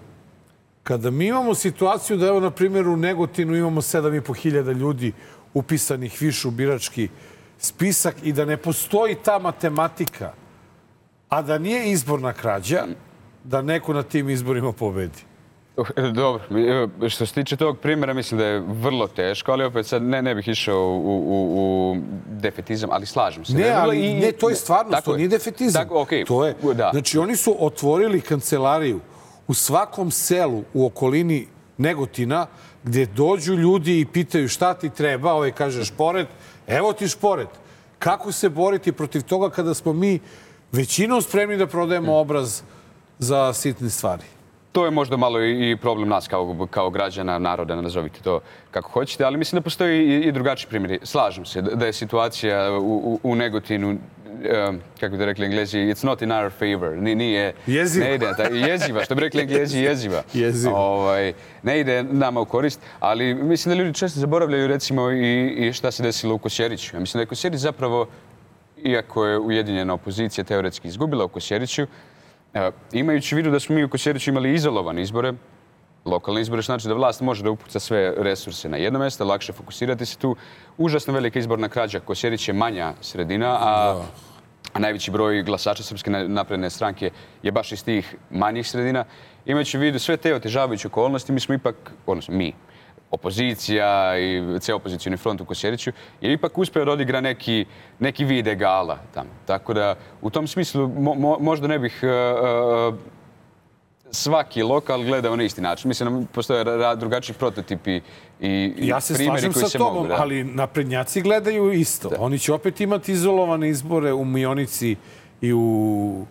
kada mi imamo situaciju da, evo, na primjer, u Negotinu imamo sedam i po hiljada ljudi upisanih više u birački spisak i da ne postoji ta matematika, a da nije izborna krađa, da neko na tim izborima pobedi? Dobro, što se tiče tog primjera, mislim da je vrlo teško, ali opet sad ne, ne bih išao u, u, u defetizam, ali slažem se. Ne, ali i, ne, to je stvarno, to nije defetizam. Tako, okay, to je, da. Znači, oni su otvorili kancelariju u svakom selu u okolini Negotina, gdje dođu ljudi i pitaju šta ti treba, ovaj kaže šporet, evo ti šporet. Kako se boriti protiv toga kada smo mi većinom spremni da prodajemo obraz za sitne stvari? To je možda malo i problem nas kao, kao građana, naroda, nazovite to kako hoćete, ali mislim da postoji i, i drugačiji primjeri. Slažem se da je situacija u, u, u Negotinu, um, kako bi da rekli Englezi, it's not in our favor. Nije, jeziva. Ne ide, ta, jeziva, što bi rekli Englezi, jeziva. Jeziva. Ovaj, ne ide nama u korist, ali mislim da ljudi često zaboravljaju recimo i, i šta se desilo u Kosjeriću. Ja mislim da je Kosjerić zapravo, iako je ujedinjena opozicija teoretski izgubila u Kosjeriću, imajući u vidu da smo mi u Kosjeriću imali izolovane izbore, lokalne izbore, što znači da vlast može da upuca sve resurse na jedno mjesto, lakše fokusirati se tu. Užasno velika izborna krađa. Kosjerić je manja sredina, a, a najveći broj glasača Srpske napredne stranke je baš iz tih manjih sredina. Imajući u vidu sve te otežavajuće okolnosti, mi smo ipak, odnosno mi, opozicija i cijel opozicioni front u Kosjeriću je ipak uspio da odigra neki, neki vid egala tamo. Tako da u tom smislu mo, mo, možda ne bih uh, svaki lokal gledao na isti način. Mislim da postoje drugačiji prototipi i ja se primjeri slažem koji sa se tobom, mogu. Da. Ali naprednjaci gledaju isto. Da. Oni će opet imati izolovane izbore u Mionici i u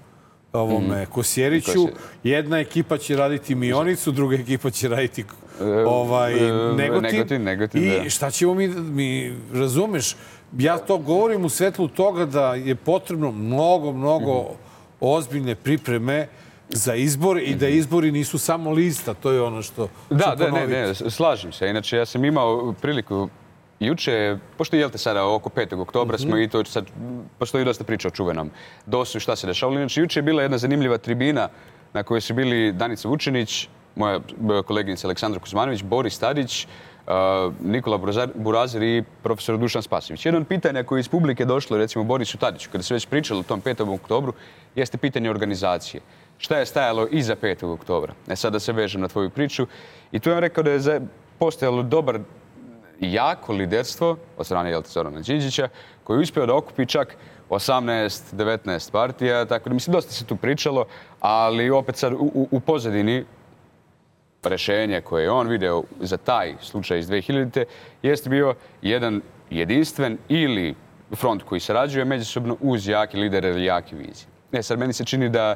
ovome mm. Kosjeriću. Jedna ekipa će raditi Mionicu, druga ekipa će raditi ovaj, Negotin. Negotin, Negotin, I da. šta ćemo mi, mi, razumeš, ja to govorim u svetlu toga da je potrebno mnogo, mnogo mm-hmm. ozbiljne pripreme za izbor i da izbori nisu samo lista, to je ono što Da, ću da, ne, ne, slažem se. Inače, ja sam imao priliku juče, pošto je te sada oko petog oktobra smo mm-hmm. i to sad postoji dosta priča o čuvenom dosu i šta se dešavalo. Inače, juče je bila jedna zanimljiva tribina na kojoj su bili Danica Vučinić, moja koleginica Aleksandra Kuzmanović, Boris Tadić, uh, Nikola Burazir i profesor Dušan Spasović. Jedno od pitanja koje iz publike došlo, recimo Borisu Tadiću, kada se već pričalo o tom petog oktobru, jeste pitanje organizacije. Šta je stajalo iza petog oktobra? E sad da se vežem na tvoju priču. I tu je rekao da je postojalo dobar jako liderstvo od strane Jelte Zorana Đinđića, koji je uspio da okupi čak osamnaest devetnaest partija, tako da mislim dosta se tu pričalo, ali opet sad u, u pozadini rešenje koje je on video za taj slučaj iz dve hiljadite jeste bio jedan jedinstven ili front koji sarađuje međusobno uz jaki lider ili jaki vizije. E sad meni se čini da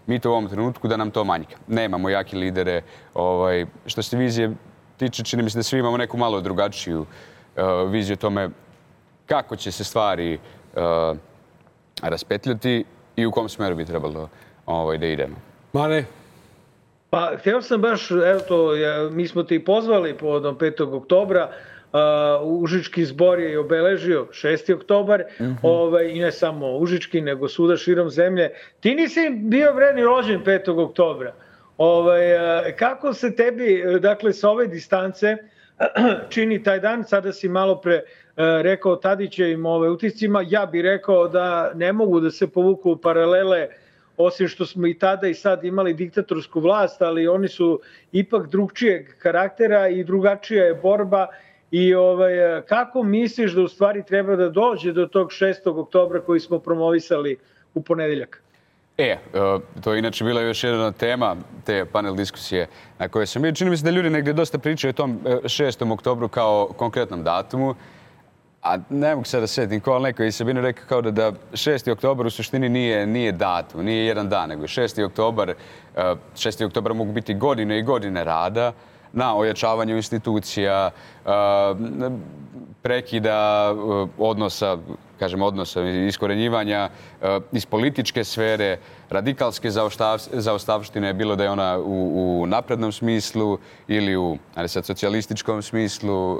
mi to u ovom trenutku da nam to manjka. Nemamo jaki lidere. Ovaj, što se vizije tiče, čini mi se da svi imamo neku malo drugačiju uh, viziju o tome kako će se stvari uh, raspetljati i u kom smeru bi trebalo ovaj, da idemo. Mare? Pa, htio sam baš, evo to, ja, mi smo te i pozvali povodom petog oktobra, uh, Užički zbor je obeležio šesti oktobar, mm-hmm. ovaj, i ne samo Užički, nego svuda širom zemlje. Ti nisi bio vredni rođen petog oktobra. Ovaj, kako se tebi, dakle, sa ove distance čini taj dan? Sada si malo pre rekao Tadićevim ove utiscima. Ja bih rekao da ne mogu da se povuku paralele, osim što smo i tada i sad imali diktatorsku vlast, ali oni su ipak drugčijeg karaktera i drugačija je borba. I ovaj, kako misliš da u stvari treba da dođe do tog šestog oktobra koji smo promovisali u ponedeljak? E, to je inače bila još jedna tema te panel diskusije na kojoj sam bio. Čini mi se da ljudi negdje dosta pričaju o tom šestom oktobru kao konkretnom datumu, a ne mogu sad da setim ko, ali neko je Sabina rekao kao da, da šesti oktobar u suštini nije, nije datum, nije jedan dan, nego šesti oktobar, šesti oktobar mogu biti godine i godine rada na ojačavanju institucija, prekida odnosa kažem, odnosa, iskorenjivanja iz političke sfere, radikalske zaostavštine, bilo da je ona u, u naprednom smislu ili u ali sad, socijalističkom smislu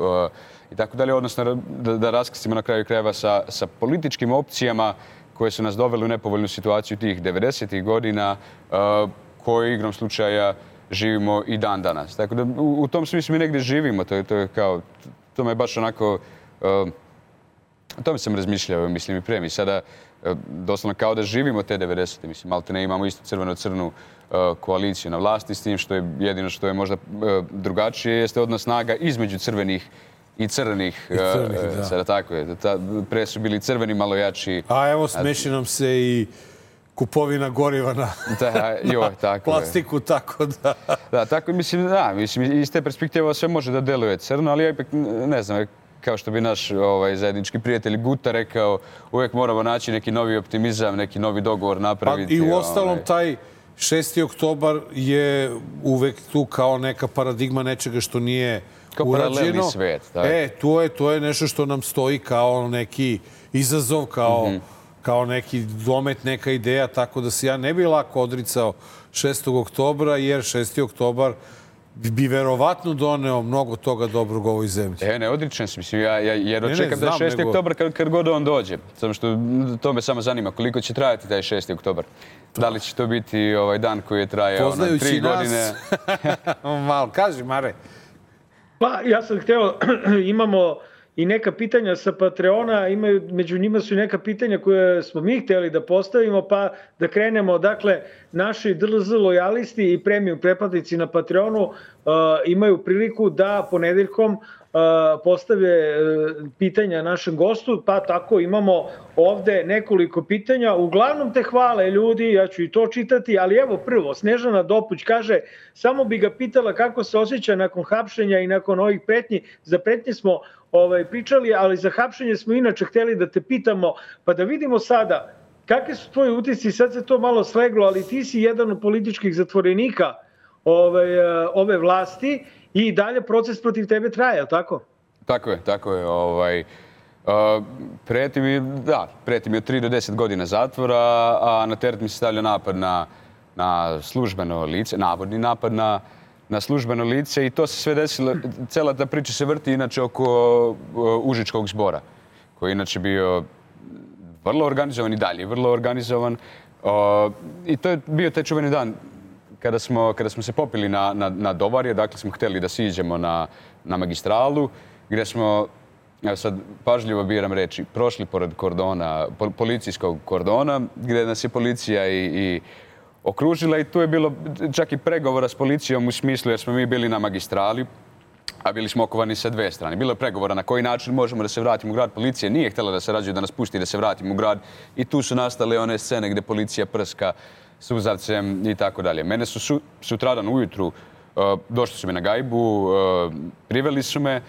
i tako dalje, odnosno da, da raskrstimo na kraju krajeva sa, sa političkim opcijama koje su nas doveli u nepovoljnu situaciju tih devedesetih godina, koje igrom slučaja živimo i dan danas. Tako da u, u tom smislu mi negdje živimo, to je, to je kao, to me baš onako, uh, o tome sam razmišljao, mislim i prije mi sada, uh, doslovno kao da živimo te devedesete, mislim, malte ne imamo isto crveno-crnu uh, koaliciju na vlasti, s tim što je jedino što je možda uh, drugačije jeste odnos snaga između crvenih i crvenih, I crvenih uh, da. sada tako je, ta, pre su bili crveni malo jači. A evo smeši nam se i kupovina goriva na da, joj, tako plastiku, je. tako da... Da, tako mislim, da, mislim, iz te perspektive sve može da deluje crno, ali ja ipak ne znam, kao što bi naš ovaj, zajednički prijatelj Guta rekao, uvijek moramo naći neki novi optimizam, neki novi dogovor napraviti. Pa i u ostalom ovaj. taj šesti oktobar je uvek tu kao neka paradigma nečega što nije kao urađeno. paralelni svet. Tako. E, to je, to je nešto što nam stoji kao neki izazov, kao... Mm-hmm. kao neki domet, neka ideja, tako da se ja ne bi lako odricao šestog oktobra, jer šesti oktobar bi verovatno doneo mnogo toga dobrog u ovoj zemlji. E, ne odričem se, mislim, ja, ja jer ne, očekam ne, da je šesti nego... oktobar kad, kad god on dođe. Samo što to me samo zanima, koliko će trajati taj šesti oktobar. Da li će to biti ovaj dan koji je trajao na tri godine? Malo, kaži, Mare. Pa, ja sam hteo, imamo i neka pitanja sa Patreona, imaju, među njima su i neka pitanja koje smo mi htjeli da postavimo, pa da krenemo. Dakle, naši D L Z lojalisti i premium pretplatnici na Patreonu uh, imaju priliku da ponedeljkom uh, postave uh, pitanja našem gostu, pa tako imamo ovde nekoliko pitanja. Uglavnom te hvale ljudi, ja ću i to čitati, ali evo prvo, Snežana Dopuć kaže, samo bi ga pitala kako se osjeća nakon hapšenja i nakon ovih pretnji. Za pretnje smo ovaj, pričali, ali za hapšenje smo inače htjeli da te pitamo, pa da vidimo sada kakvi su tvoji utisci, sad se to malo sleglo, ali ti si jedan od političkih zatvorenika ove, ove vlasti i dalje proces protiv tebe traje, tako? Tako je, tako je. Ovaj, uh, preti mi, da, preti mi od tri do deset godina zatvora, a na teret mi se stavlja napad na, na službeno lice, navodni napad na na službeno lice i to se sve desilo, cela ta priča se vrti inače oko uh, Užičkog zbora, koji je inače bio vrlo organizovan i dalje, vrlo organizovan. Uh, I to je bio taj čuveni dan kada smo, kada smo se popili na, na, na Dovarje, dakle smo htjeli da siđemo na, na magistralu, gdje smo, ja sad pažljivo biram reći, prošli pored kordona, pol, policijskog kordona, gdje nas je policija i, i okružila i tu je bilo čak i pregovora s policijom u smislu jer smo mi bili na magistrali, a bili smo okovani sa dve strane. Bilo je pregovora na koji način možemo da se vratimo u grad. Policija nije htjela da se rađuje, da nas pusti da se vratimo u grad i tu su nastale one scene gdje policija prska suzavcem i tako dalje. Mene su, su sutradan ujutru uh, došli su mi na gajbu, uh, priveli su me.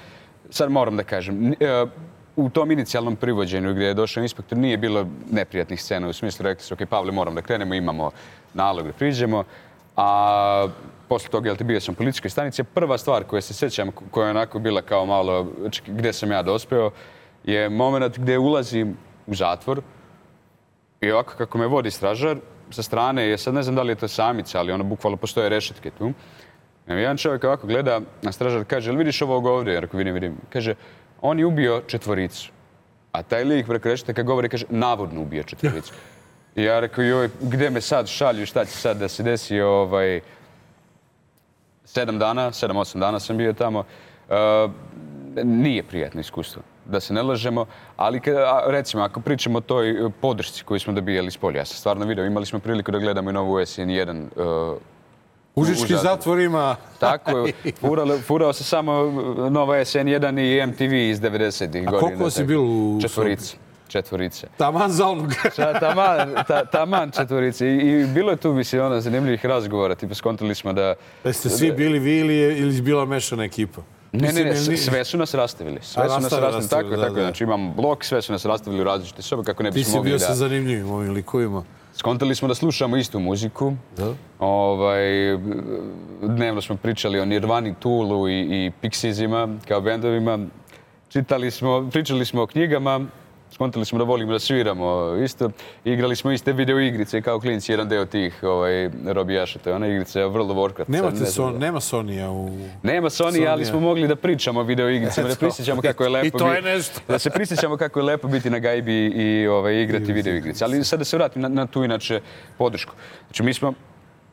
Sad moram da kažem, uh, u tom inicijalnom privođenju gdje je došao inspektor nije bilo neprijatnih scena. U smislu rekli su, ok, Pavle, moram da krenemo, imamo nalog da priđemo. A posle toga, jel ti bio sam u policijskoj stanici, prva stvar koja se sjećam, koja je onako bila kao malo, gdje sam ja dospeo, je moment gdje ulazim u zatvor i ovako kako me vodi stražar sa strane, je sad ne znam da li je to samica, ali ono bukvalno postoje rešetke tu. Jedan čovjek ovako gleda, a stražar kaže, jel vidiš ovog ovdje? Ja rekao, vidim, vidim. Kaže, on je ubio četvoricu. A taj lik preko rešetaka govori, kaže, navodno ubio četvoricu. I ja rekao, joj, gdje me sad šalju, šta će sad da se desi, ovaj... Sedam dana, sedam, osam dana sam bio tamo. Uh, nije prijatno iskustvo, da se ne lažemo, ali recimo, ako pričamo o toj podršci koju smo dobijali s polja, ja sam stvarno video, imali smo priliku da gledamo i novu S N jedan uh, Užički zatvor ima. Tako je, furao, furao se samo nova S N jedan i M T V iz devedesetih godina. A koliko si bil u Četvorice. Četvorice. Taman za onog. taman, ta, taman četvorice. I, I bilo je tu, mislim, ono, zanimljivih razgovora. Tipa, skontali smo da... Jeste svi bili vi ili je ili bila mešana ekipa? Ne, ne, ne, sve su nas rastavili. Sve A, su nas rastavili, tako, da, tako. da. Znači, imam blok, sve su nas rastavili u različite sobe, kako ne bismo mogli da... Ti si bio sa zanimljivim ovim likovima. Skontali smo da slušamo istu muziku. Da. Ovaj, dnevno smo pričali o Nirvani, Toolu i, i Pixiesima kao bendovima. Čitali smo, pričali smo o knjigama skontali smo da volimo da sviramo isto. Igrali smo iste video igrice kao klinci, jedan deo tih ovaj, robijaša. To je ona igrica World of Warcraft. Nemate Sad ne znam son, da- nema Sonija u... Nema Sony, Sonija. ali smo mogli da pričamo o video igricama, da prisjećamo kako je lepo I to je biti- nešto. da se prisjećamo kako je lepo biti na gajbi i ovaj, igrati video igrice. Ali sad da se vratim na, na tu inače podršku. Znači mi smo,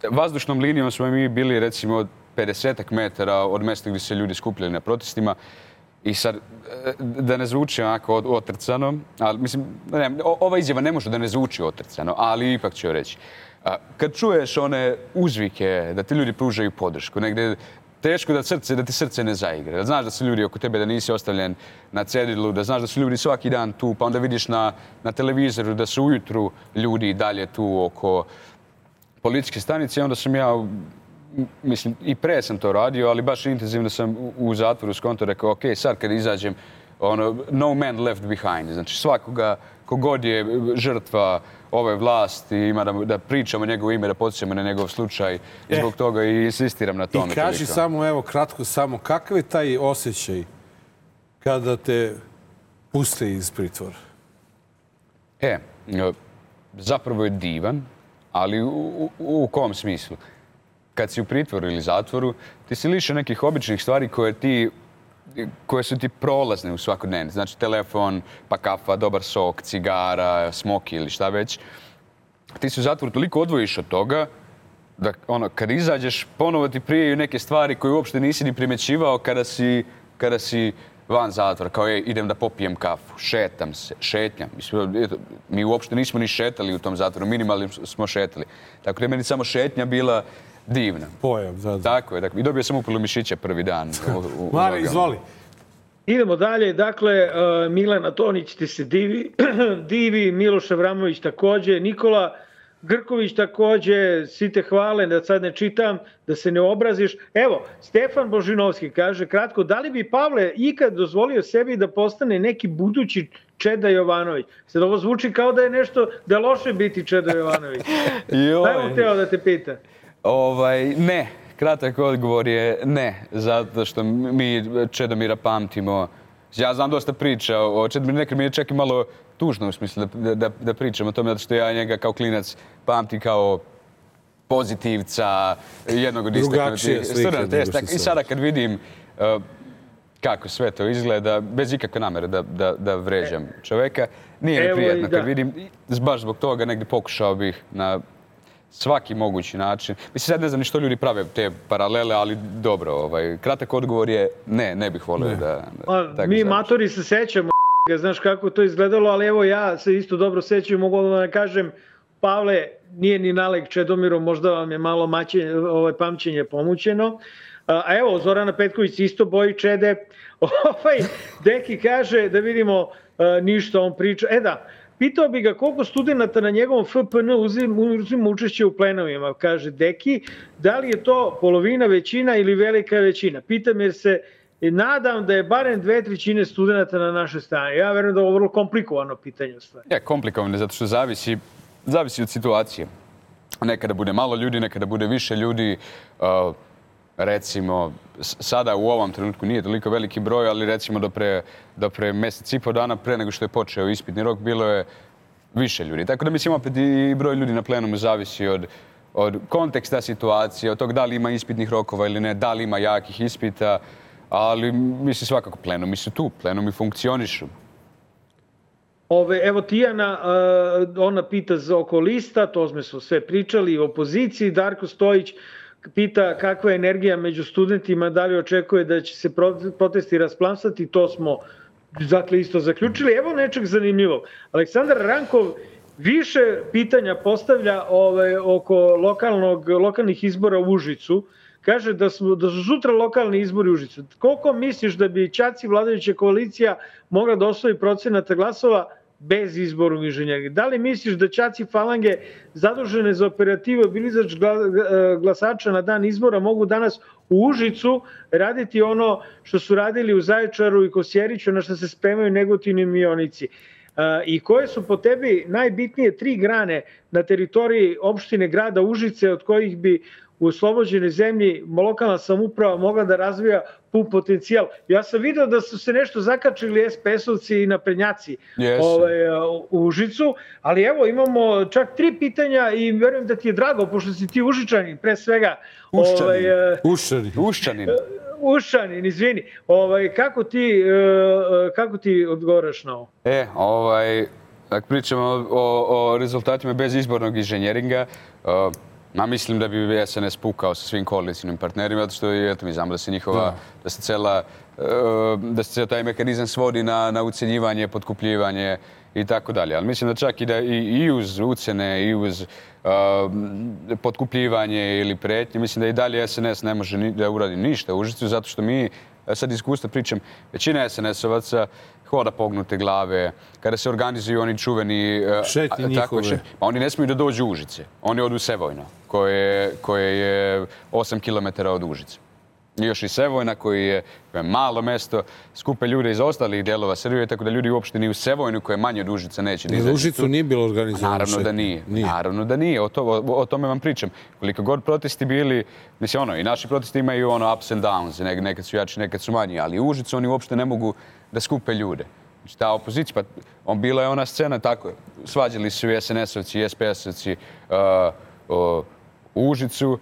vazdušnom linijom smo mi bili recimo od pedesetak metara od mesta gdje se ljudi skupljali na protestima. I sad, e, da ne zvuči onako od- otrcano, ali mislim, ne, o- ova izjava ne može da ne zvuči otrcano, ali ipak ću joj reći. A, kad čuješ one uzvike da ti ljudi pružaju podršku, negdje teško da, srce, da ti srce ne zaigra. Da znaš da su ljudi oko tebe, da nisi ostavljen na cedilu, da znaš da su ljudi svaki dan tu, pa onda vidiš na, na televizoru da su ujutru ljudi dalje tu oko policijske stanice i onda sam ja, m, mislim, i pre sam to radio, ali baš intenzivno sam u, u zatvoru skonto rekao, ok, sad kad izađem, ono, no man left behind. Znači svakoga, kogod je žrtva ove vlasti, ima da, da pričamo njegovo ime, da podsjećamo na njegov slučaj i zbog toga i insistiram na tome. I kaži toliko. samo, evo, kratko samo, kakav je taj osjećaj kada te puste iz pritvora? E, e, zapravo je divan, ali u, u, u kom smislu? Kad si u pritvoru ili zatvoru, ti si lišen nekih običnih stvari koje ti koje su ti prolazne u svakodnevni. Znači telefon, pa kafa, dobar sok, cigara, smoki ili šta već. Ti se u zatvoru toliko odvojiš od toga da ono, kad izađeš, ponovo ti prijeju neke stvari koje uopšte nisi ni primećivao kada si, kada si van zatvora. Kao je, idem da popijem kafu, šetam se, šetnjam. Mislim, eto, mi uopšte nismo ni šetali u tom zatvoru, minimalno smo šetali. Tako da je meni samo šetnja bila divna. Pojam, da, da. Tako je, dakle, i dobio sam upilu mišića prvi dan. U, u, u Mare, nogama. izvoli. Idemo dalje, dakle, uh, Milana Tonić ti se divi, divi, Miloš Avramović takođe, Nikola Grković takođe, svi te hvale, da sad ne čitam, da se ne obraziš. Evo, Stefan Božinovski kaže, kratko, da li bi Pavle ikad dozvolio sebi da postane neki budući Čeda Jovanović? Sad ovo zvuči kao da je nešto, da je loše biti Čeda Jovanović. Joj. Šta je teo da te pita? Ovaj, ne. Kratak odgovor je ne, zato što mi Čedomira pamtimo. Ja znam dosta priča o Čedomiru, nekad mi je čak i malo tužno u smislu da, da, da pričam o tome, zato što ja njega kao klinac pamtim kao pozitivca, jednog od Drugačije istaknutih slike studenata. nego što I sad. sada kad vidim uh, kako sve to izgleda, bez ikakve namere da, da, da vređam čoveka, nije mi Evo i prijatno da. kad vidim, i baš zbog toga negdje pokušao bih na svaki mogući način. Mislim, sad ne znam ni što ljudi prave te paralele, ali dobro, ovaj, kratak odgovor je ne, ne bih volio da, da A, tako mi završim. matori se sećamo, znaš kako to izgledalo, ali evo ja se isto dobro sećam, mogu odmah da kažem, Pavle nije ni nalik Čedomiru, možda vam je malo maće, ovaj, pamćenje pomućeno. A evo, Zorana Petković isto boji Čede. Ovaj, Deki kaže, da vidimo a, ništa on priča. E da, pitao bi ga koliko studenta na njegovom F P N uzima, uzima učešće u plenovima, kaže Deki. Da li je to polovina, većina ili velika većina? Pitam jer se nadam da je barem dve trećine studenta na našoj strani. Ja verujem da je ovo vrlo komplikovano pitanje u stvari. Je, komplikovano je zato što zavisi, zavisi od situacije. Nekada bude malo ljudi, nekada bude više ljudi. Uh, recimo, s- sada u ovom trenutku nije toliko veliki broj, ali recimo do pre, do pre mjesec i po dana pre nego što je počeo ispitni rok, bilo je više ljudi. Tako da mislim opet i broj ljudi na plenumu zavisi od, od konteksta situacije, od tog da li ima ispitnih rokova ili ne, da li ima jakih ispita, ali mislim svakako plenumi su tu, plenumi funkcionišu. Ove, evo Tijana, uh, ona pita za oko lista, to smo sve pričali, o opoziciji. Darko Stojić pita kakva je energija među studentima, da li očekuje da će se pro- protesti rasplamsati, to smo dakle isto zaključili. Evo nečeg zanimljivog. Aleksandar Rankov više pitanja postavlja ove, oko lokalnog, lokalnih izbora u Užicu. Kaže da, smo, da su sutra lokalni izbori u Užicu. Koliko misliš da bi Čaci vladajuća koalicija mogla da osvoji procenata glasova bez izboru inženjeri? Da li misliš da Čaci falange zadužene za operativu i bilizač glasača na dan izbora mogu danas u Užicu raditi ono što su radili u Zaječaru i Kosjeriću, na što se spremaju Negotin i Mionici? I koje su po tebi najbitnije tri grane na teritoriji opštine grada Užice od kojih bi u oslobođenoj zemlji lokalna samouprava mogla da razvija pun potencijal. Ja sam video da su se nešto zakačili es pe es-ovci i naprednjaci Yes. ovaj, u Užicu, ali evo imamo čak tri pitanja i verujem da ti je drago, pošto si ti Užičanin pre svega. Uščanin. Ovaj, Uščanin. Uščanin. Uščanin, izvini. Ovaj, kako, ti, eh, kako ti odgovaraš na ovo? E, ovaj, ako pričamo o, o, o rezultatima bez izbornog inženjeringa, uh, ma mislim da bi es en es pukao sa svim koalicijnim partnerima, zato što eto, mi znamo da se njihova, da, da se cela, uh, da se cela taj mehanizam svodi na, na ucenjivanje, potkupljivanje i tako dalje. Ali mislim da čak i da i, i uz ucene, i uz uh, potkupljivanje ili pretnje, mislim da i dalje es en es ne može ni, da uradi ništa u Užicu, zato što mi, sad iskustva pričam, većina es en es-ovaca hoda pognute glave, kada se organizuju oni čuveni... Šetnje njihove. Šet, pa oni ne smiju da dođu u Užice. Oni odu u Sevojno, koje, koje je osam kilometara od Užice. I još i Sevojna, koji je, koje je malo mesto, skupe ljude iz ostalih dijelova Srbije, tako da ljudi uopšte ni u Sevojnu, koje je manje od Užica, neće da izađu. U Užicu nije bilo organizovano. Naravno da nije. nije. Naravno da nije. O, to, o, o tome vam pričam. Koliko god protesti bili, mislim ono, i naši protesti imaju ono ups and downs, ne, nekad su jači, nekad su manji, ali u Užicu oni uopšte ne mogu da skupe ljude. Znači, ta opozicija, pa on, bila je ona scena tako, svađali su i es en es-ovci i es pe es-ovci uh, uh, u Užicu.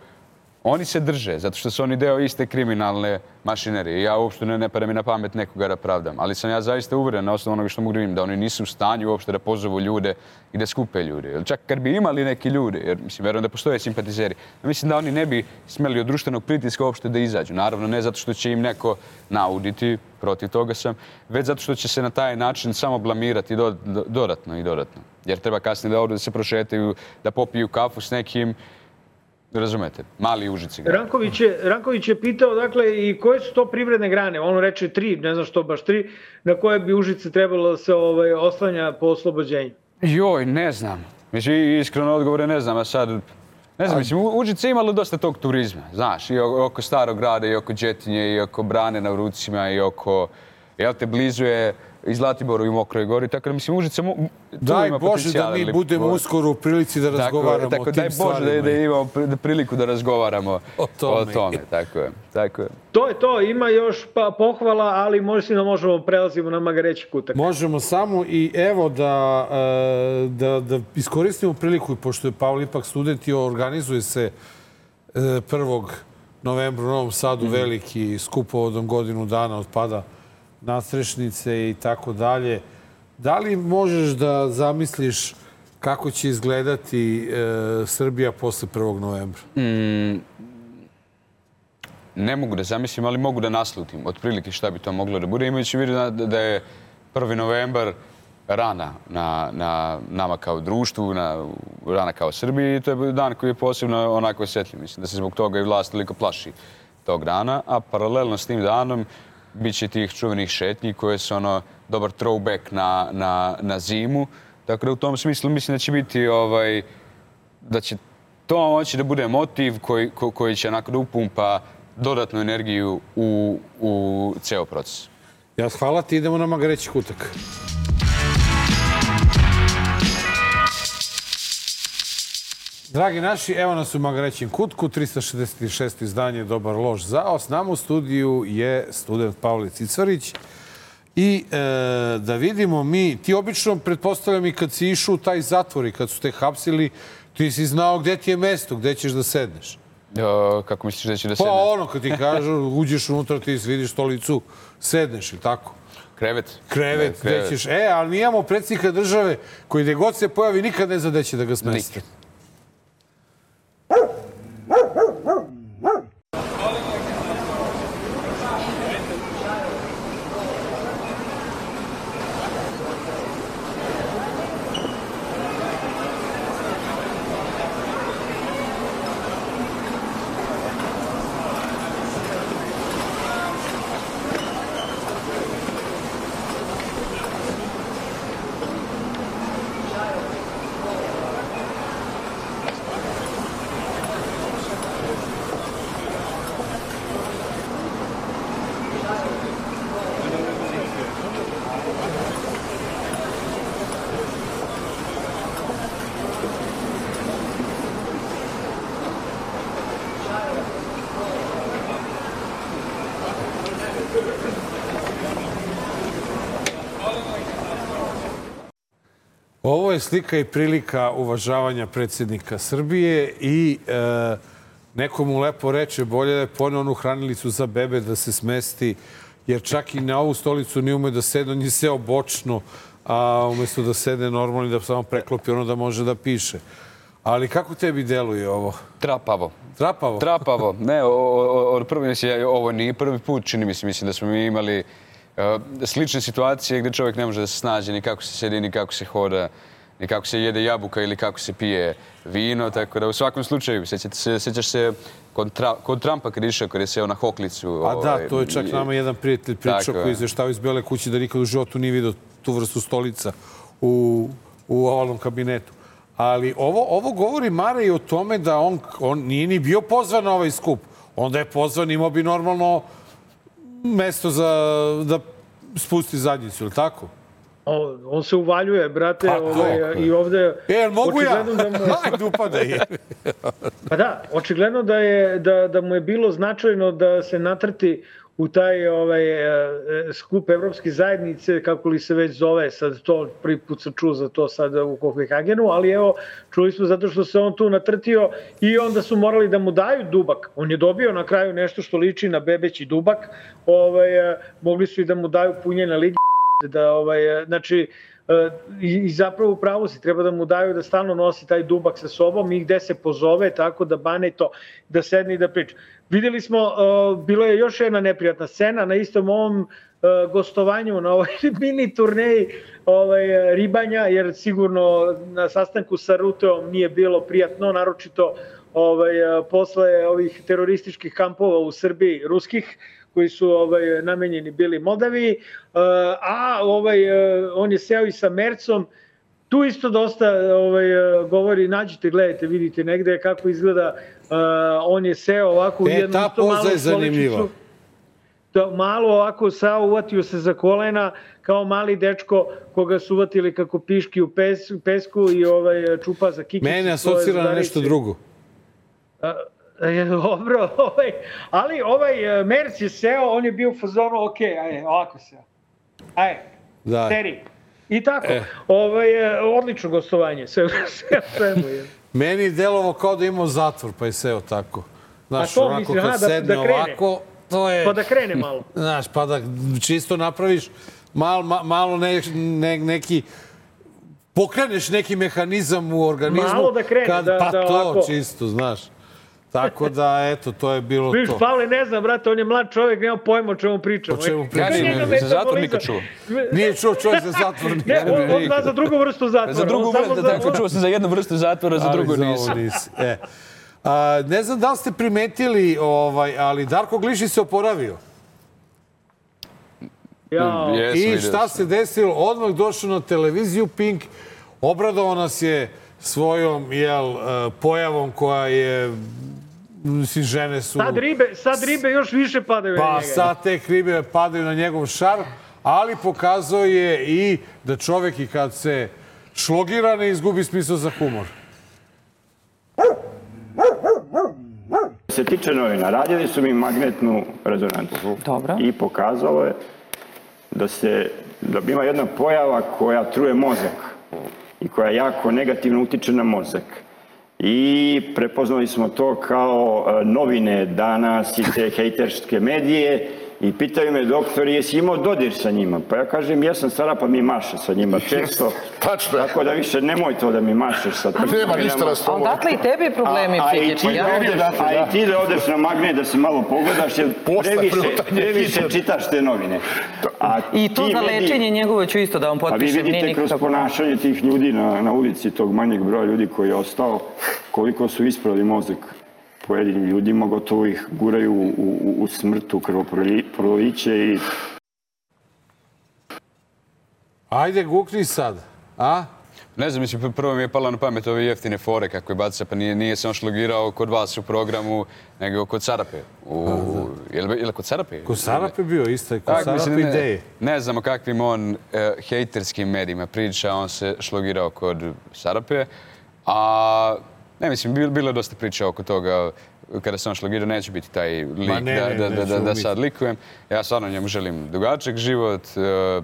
Oni se drže, zato što su oni deo iste kriminalne mašinerije. Ja uopšte ne, ne pada mi na pamet nekoga da pravdam. Ali sam ja zaista uveren na osnovu onoga što mogu da vidim, da oni nisu u stanju uopšte da pozovu ljude i da skupe ljude. Jer čak kad bi imali neki ljude, jer mislim, verujem da postoje simpatizeri, mislim da oni ne bi smeli od društvenog pritiska uopšte da izađu. Naravno, ne zato što će im neko nauditi, protiv toga sam, već zato što će se na taj način samo blamirati do, do, dodatno i dodatno. Jer treba kasnije da odu da se prošetaju, da popiju kafu s nekim. Razumete, mali Užici. Ranković je, Ranković je pitao, dakle, i koje su to privredne grane? On reče tri, ne znam što baš tri, na koje bi Užice trebalo da se ovaj, oslanja po oslobođenju. Joj, ne znam. Mislim, iskreno odgovore ne znam, a sad... Ne znam, mislim, Užice je imalo dosta tog turizma, znaš, i oko Starog grada, i oko Đetinje, i oko Brane na Vrucima, i oko... Jel te, blizu je i Zlatiboru i Mokroj Gori, tako da mislim Užice mu, daj Bože da mi budemo uskoro u prilici da razgovaramo tako, o tim daj Bože stvarima. Da, da imamo priliku da razgovaramo o tome. O tome tako je, tako je. To je to, ima još pa, pohvala, ali možda da možemo prelazimo na Magareći kutak. Možemo samo i evo da, da, da iskoristimo priliku, pošto je Pavle ipak student i organizuje se prvog novembra u Novom Sadu mm-hmm. veliki skup povodom godinu dana od pada nadstrešnice i tako dalje. Da li možeš da zamisliš kako će izgledati e, Srbija posle prvog novembra? Mm, ne mogu da zamislim, ali mogu da naslutim otprilike šta bi to moglo da bude. Imajući vidu da, da je prvi novembar rana na, na nama kao društvu, na, rana kao Srbiji i to je dan koji je posebno onako osjetljiv. Mislim da se zbog toga i vlast toliko plaši tog dana, a paralelno s tim danom biće tih čuvenih šetnji koje su ono dobar throwback na, na, na zimu. Tako da u tom smislu mislim da će biti ovaj, da će to moći da bude motiv koji, ko, koji će onako da upumpa dodatnu energiju u, u ceo proces. Ja, hvala ti, idemo na Magareći kutak. Dragi naši, evo nas u Magarećem kutku, trista šezdeset šest izdanje Dobar loš zao. S nama u studiju je student Pavle Cicvarić. I e, da vidimo mi, ti obično, pretpostavljam i kad si išao u taj zatvor i kad su te hapsili, ti si znao gde ti je mesto, gde ćeš da sedneš. O, kako misliš da će da sedneš? Pa ono, kad ti kažu, uđeš unutra, ti vidiš stolicu, sedneš, ili tako? Krevet. Krevet, gde ćeš. E, ali mi imamo predsjednika države koji gde god se pojavi nikad ne zna gde će da ga smesti. Ovo je slika i prilika uvažavanja predsjednika Srbije i e, neko mu lepo reče bolje da je poneo onu hranilicu za bebe da se smesti, jer čak i na ovu stolicu nije umeo da sede, on je seo bočno, a umjesto da sede normalno i da samo preklopi ono da može da piše. Ali kako tebi deluje ovo? Trapavo. Trapavo? Trapavo. Ne, od prvi, mislim, ovo nije prvi put, čini mi se, mislim da smo mi imali uh, slične situacije gdje čovjek ne može da se snađe ni kako se sedi, ni kako se hoda, ni kako se jede jabuka ili kako se pije vino, tako da u svakom slučaju, se, sjećaš se kod, tra, kod Trumpa kad išao, kad je seo na hoklicu. A ovaj, da, to je čak nama jedan prijatelj pričao koji izveštava iz Bele kuće da nikad u životu nije vidio tu vrstu stolica u, u ovalnom kabinetu. Ali ovo, ovo govori Mare i o tome da on, on nije ni bio pozvan na ovaj skup. Onda je pozvan, imao bi normalno mesto za da spusti zadnjicu, ili tako? On, on se uvaljuje, brate, pa, ovaj, i ovde... E, mogu ja? Da mu... Ajde, upadaj. Pa da, očigledno da, je, da, da mu je bilo značajno da se natrti u taj ovaj, skup Evropske zajednice, kako li se već zove, sad to prvi put sam čuo za to sad u Kopenhagenu, ali evo, čuli smo zato što se on tu natrtio i onda su morali da mu daju dubak. On je dobio na kraju nešto što liči na bebeći dubak, ovaj, mogli su i da mu daju punjena ligi, da, ovaj, znači, i zapravo u pravu si, treba da mu daju da stalno nosi taj dubak sa sobom i gde se pozove, tako da bane to, da sedne i da priča. Vidjeli smo, bilo je još jedna neprijatna scena na istom ovom gostovanju, na ovoj mini turneji ovaj, ribanja, jer sigurno na sastanku sa Ruteom nije bilo prijatno, naročito ovaj, posle ovih terorističkih kampova u Srbiji, ruskih, koji su ovaj, namenjeni bili Moldaviji, a ovaj, on je seo i sa Mercom. Tu isto dosta ovaj, govori, nađite, gledajte, vidite negde kako izgleda, on je seo ovako u e, jednu ta poza je zanimljiva. Malo ovako sao, uvatio se za kolena, kao mali dečko koga su uvatili kako piški u pes, pesku i ovaj, čupa za kikicu. Mene asocira na nešto drugo. Dobro, ovaj, ali ovaj Merc je seo, on je bio u fazonu, ok, ajde, ovako seo. Ajde, seri. I tako, e. ovaj, odlično gostovanje, sve, sve, sve mu je. Meni je delovo kao da imao zatvor, pa je seo tako. Znaš, to onako mislim, kad aha, sedne da, da ovako, to je... Pa da krene malo. Znaš, pa da čisto napraviš mal, ma, malo ne, ne, neki... Pokreneš neki mehanizam u organizmu. Malo da krene, kad, da, pa da to, ovako... čisto, znaš. Tako da, eto, to je bilo Viš, to. Pavle, ne znam, brate, on je mlad čovjek, nema pojma o čemu pričamo. O čemu pričamo? Ja ne, za zatvor nikad čuo. Nije čuo čovjek za zatvor. Ne, on, on zna za drugu vrstu zatvora. Za drugu vrstu, za... tako čuo sam za jednu vrstu zatvora, za drugu nisi. nisi. E. A, ne znam da li ste primetili, ovaj, ali Darko Glišić se oporavio. Ja. I šta se desilo? Odmah došao na televiziju Pink, obradovao nas je svojom jel, pojavom koja je... Mislim, žene su... Sad ribe, sad ribe još više padaju pa, na njega. Pa sad te ribe padaju na njegov šarm, ali pokazao je i da čovjek i kad se šlogira ne izgubi smisao za humor. Se tiče novina, radili su mi magnetnu rezonancu. Dobro. I pokazalo je da se, da ima jedna pojava koja truje mozak i koja jako negativno utiče na mozak. I prepoznali smo to kao novine danas i te hejterske medije i pitaju me doktori, jesi imao dodir sa njima? Pa ja kažem, jesam stara, pa mi maše sa njima često. Tačno. Tako da više nemoj to da mi mašeš sa tim. Nema ništa na stolu. A dakle i tebi problemi psihički, ja? A i ti da odeš na magnet da se malo pogledaš, jer previše, previše čitaš te novine. A I to za lečenje njegovo ću isto da vam potpišem. A vi vidite kroz ponašanje tih ljudi na, na ulici, tog manjeg broja ljudi koji je ostao, koliko su ispravili mozak pojedinim ljudima, gotovo ih guraju u, u, u smrtu, krvoproliće i... Ajde, gukni sad, a? Ne znam, mislim, prvo mi je pala na pamet ove jeftine fore kako je baca, pa nije, nije se on šlogirao kod vas u programu, nego kod Sarape. U, je li, je li kod Sarape? Kod Sarape bio isto, kod tak, Sarape mislim, ideje. Ne, ne znam o kakvim on uh, hejterskim medijima priča, on se šlogirao kod Sarape, a ne, mislim, bilo je dosta priča oko toga kada se on šlogirao, neće biti taj lik ne, da, ne, da, ne, da, da, da sad likujem. Ja stvarno njemu želim dugačak život, uh,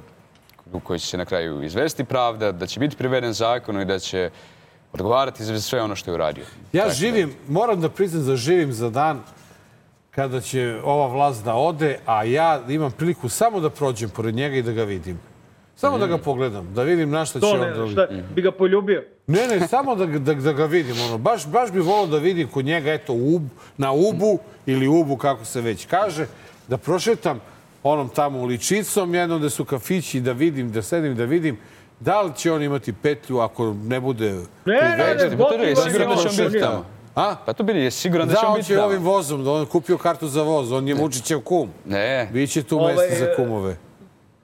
u kojoj će se na kraju izvesti pravda, da će biti priveden zakonu i da će odgovarati za sve ono što je uradio. Ja tako živim, da... moram da priznam da živim za dan kada će ova vlast da ode, a ja imam priliku samo da prođem pored njega i da ga vidim. Samo mm. da ga pogledam, da vidim na šta će on... To ne, šta, bi ga poljubio? Ne, ne, samo da, da, da ga vidim. Ono. Baš, baš bi volao da vidim kod njega, eto, ub, na Ubu ili Ubu, kako se već kaže, da prošetam onom tamo uličicom, jednom da su kafići, da vidim, da sedim, da vidim da li će on imati petlju ako ne bude priveden. Ne, ne, ne, sigurno da će on biti tamo. A? Pa to bili, je siguran da će on biti tamo. Da, on će ovim vozom, da on kupio kartu za voz, on je Vučićev kum. Ne. Biće tu mesta za kumove.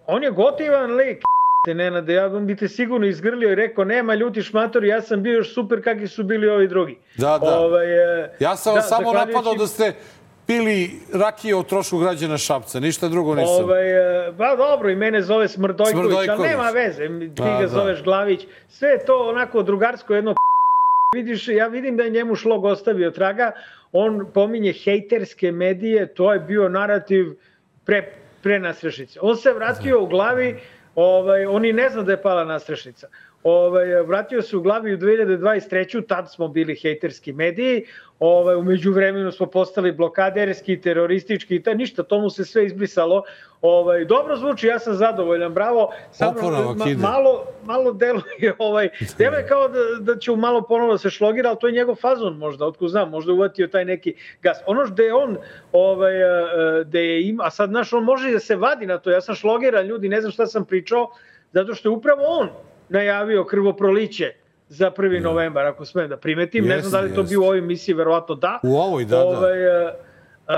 On je gotivan lik, Nenade, ja bi te sigurno izgrlio i rekao, nema ljuti šmatori, ja sam bio još super kakvi su bili ovi drugi. Da, da. Ovaj, ja sam da, vam samo napadao da ste pili rakije o trošku građana Šapca, ništa drugo nisam. Ovaj, ba dobro, i mene zove Smrdojković, Smrdojković. Ali nema veze, ti A, ga da. zoveš Glavić. Sve je to onako drugarsko jedno vidiš, ja vidim da je njemu šlog ostavio traga, on pominje hejterske medije, to je bio narativ pre, pre nastrešnice. On se vratio u glavi, ovaj, on i ne zna da je pala nastrešnica. Ovaj, vratio se u glavi u dve hiljade dvadeset treću. Tad smo bili hejterski mediji. Ovaj, umeđu vremenu smo postali blokaderski, teroristički i ta, ništa, to mu se sve izbrisalo. Ovaj, dobro zvuči, ja sam zadovoljan, bravo. Samo ma, malo, malo deluje, ovaj, deluje kao da, da će malo ponovno da se šlogira, ali to je njegov fazon možda, otko znam, možda uvatio taj neki gas. Ono što je on, ovaj, da je ima, a sad, znaš, on može da se vadi na to, ja sam šlogiran, ljudi, ne znam šta sam pričao, zato što je upravo on najavio krvoproliće za prvi novembar, ako smem da primetim. Yes, ne znam da li to yes. bio u ovoj emisiji, verovatno da. U ovoj, da, ovaj, da. Uh,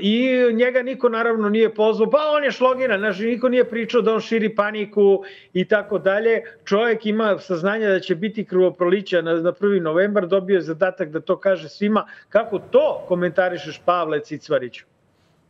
I njega niko naravno nije pozvao, pa on je šlogiran, znači niko nije pričao da on širi paniku i tako dalje. Čovjek ima saznanje da će biti krvoprolića na, na prvi novembar, dobio je zadatak da to kaže svima. Kako to komentarišeš, Pavle Cicvariću?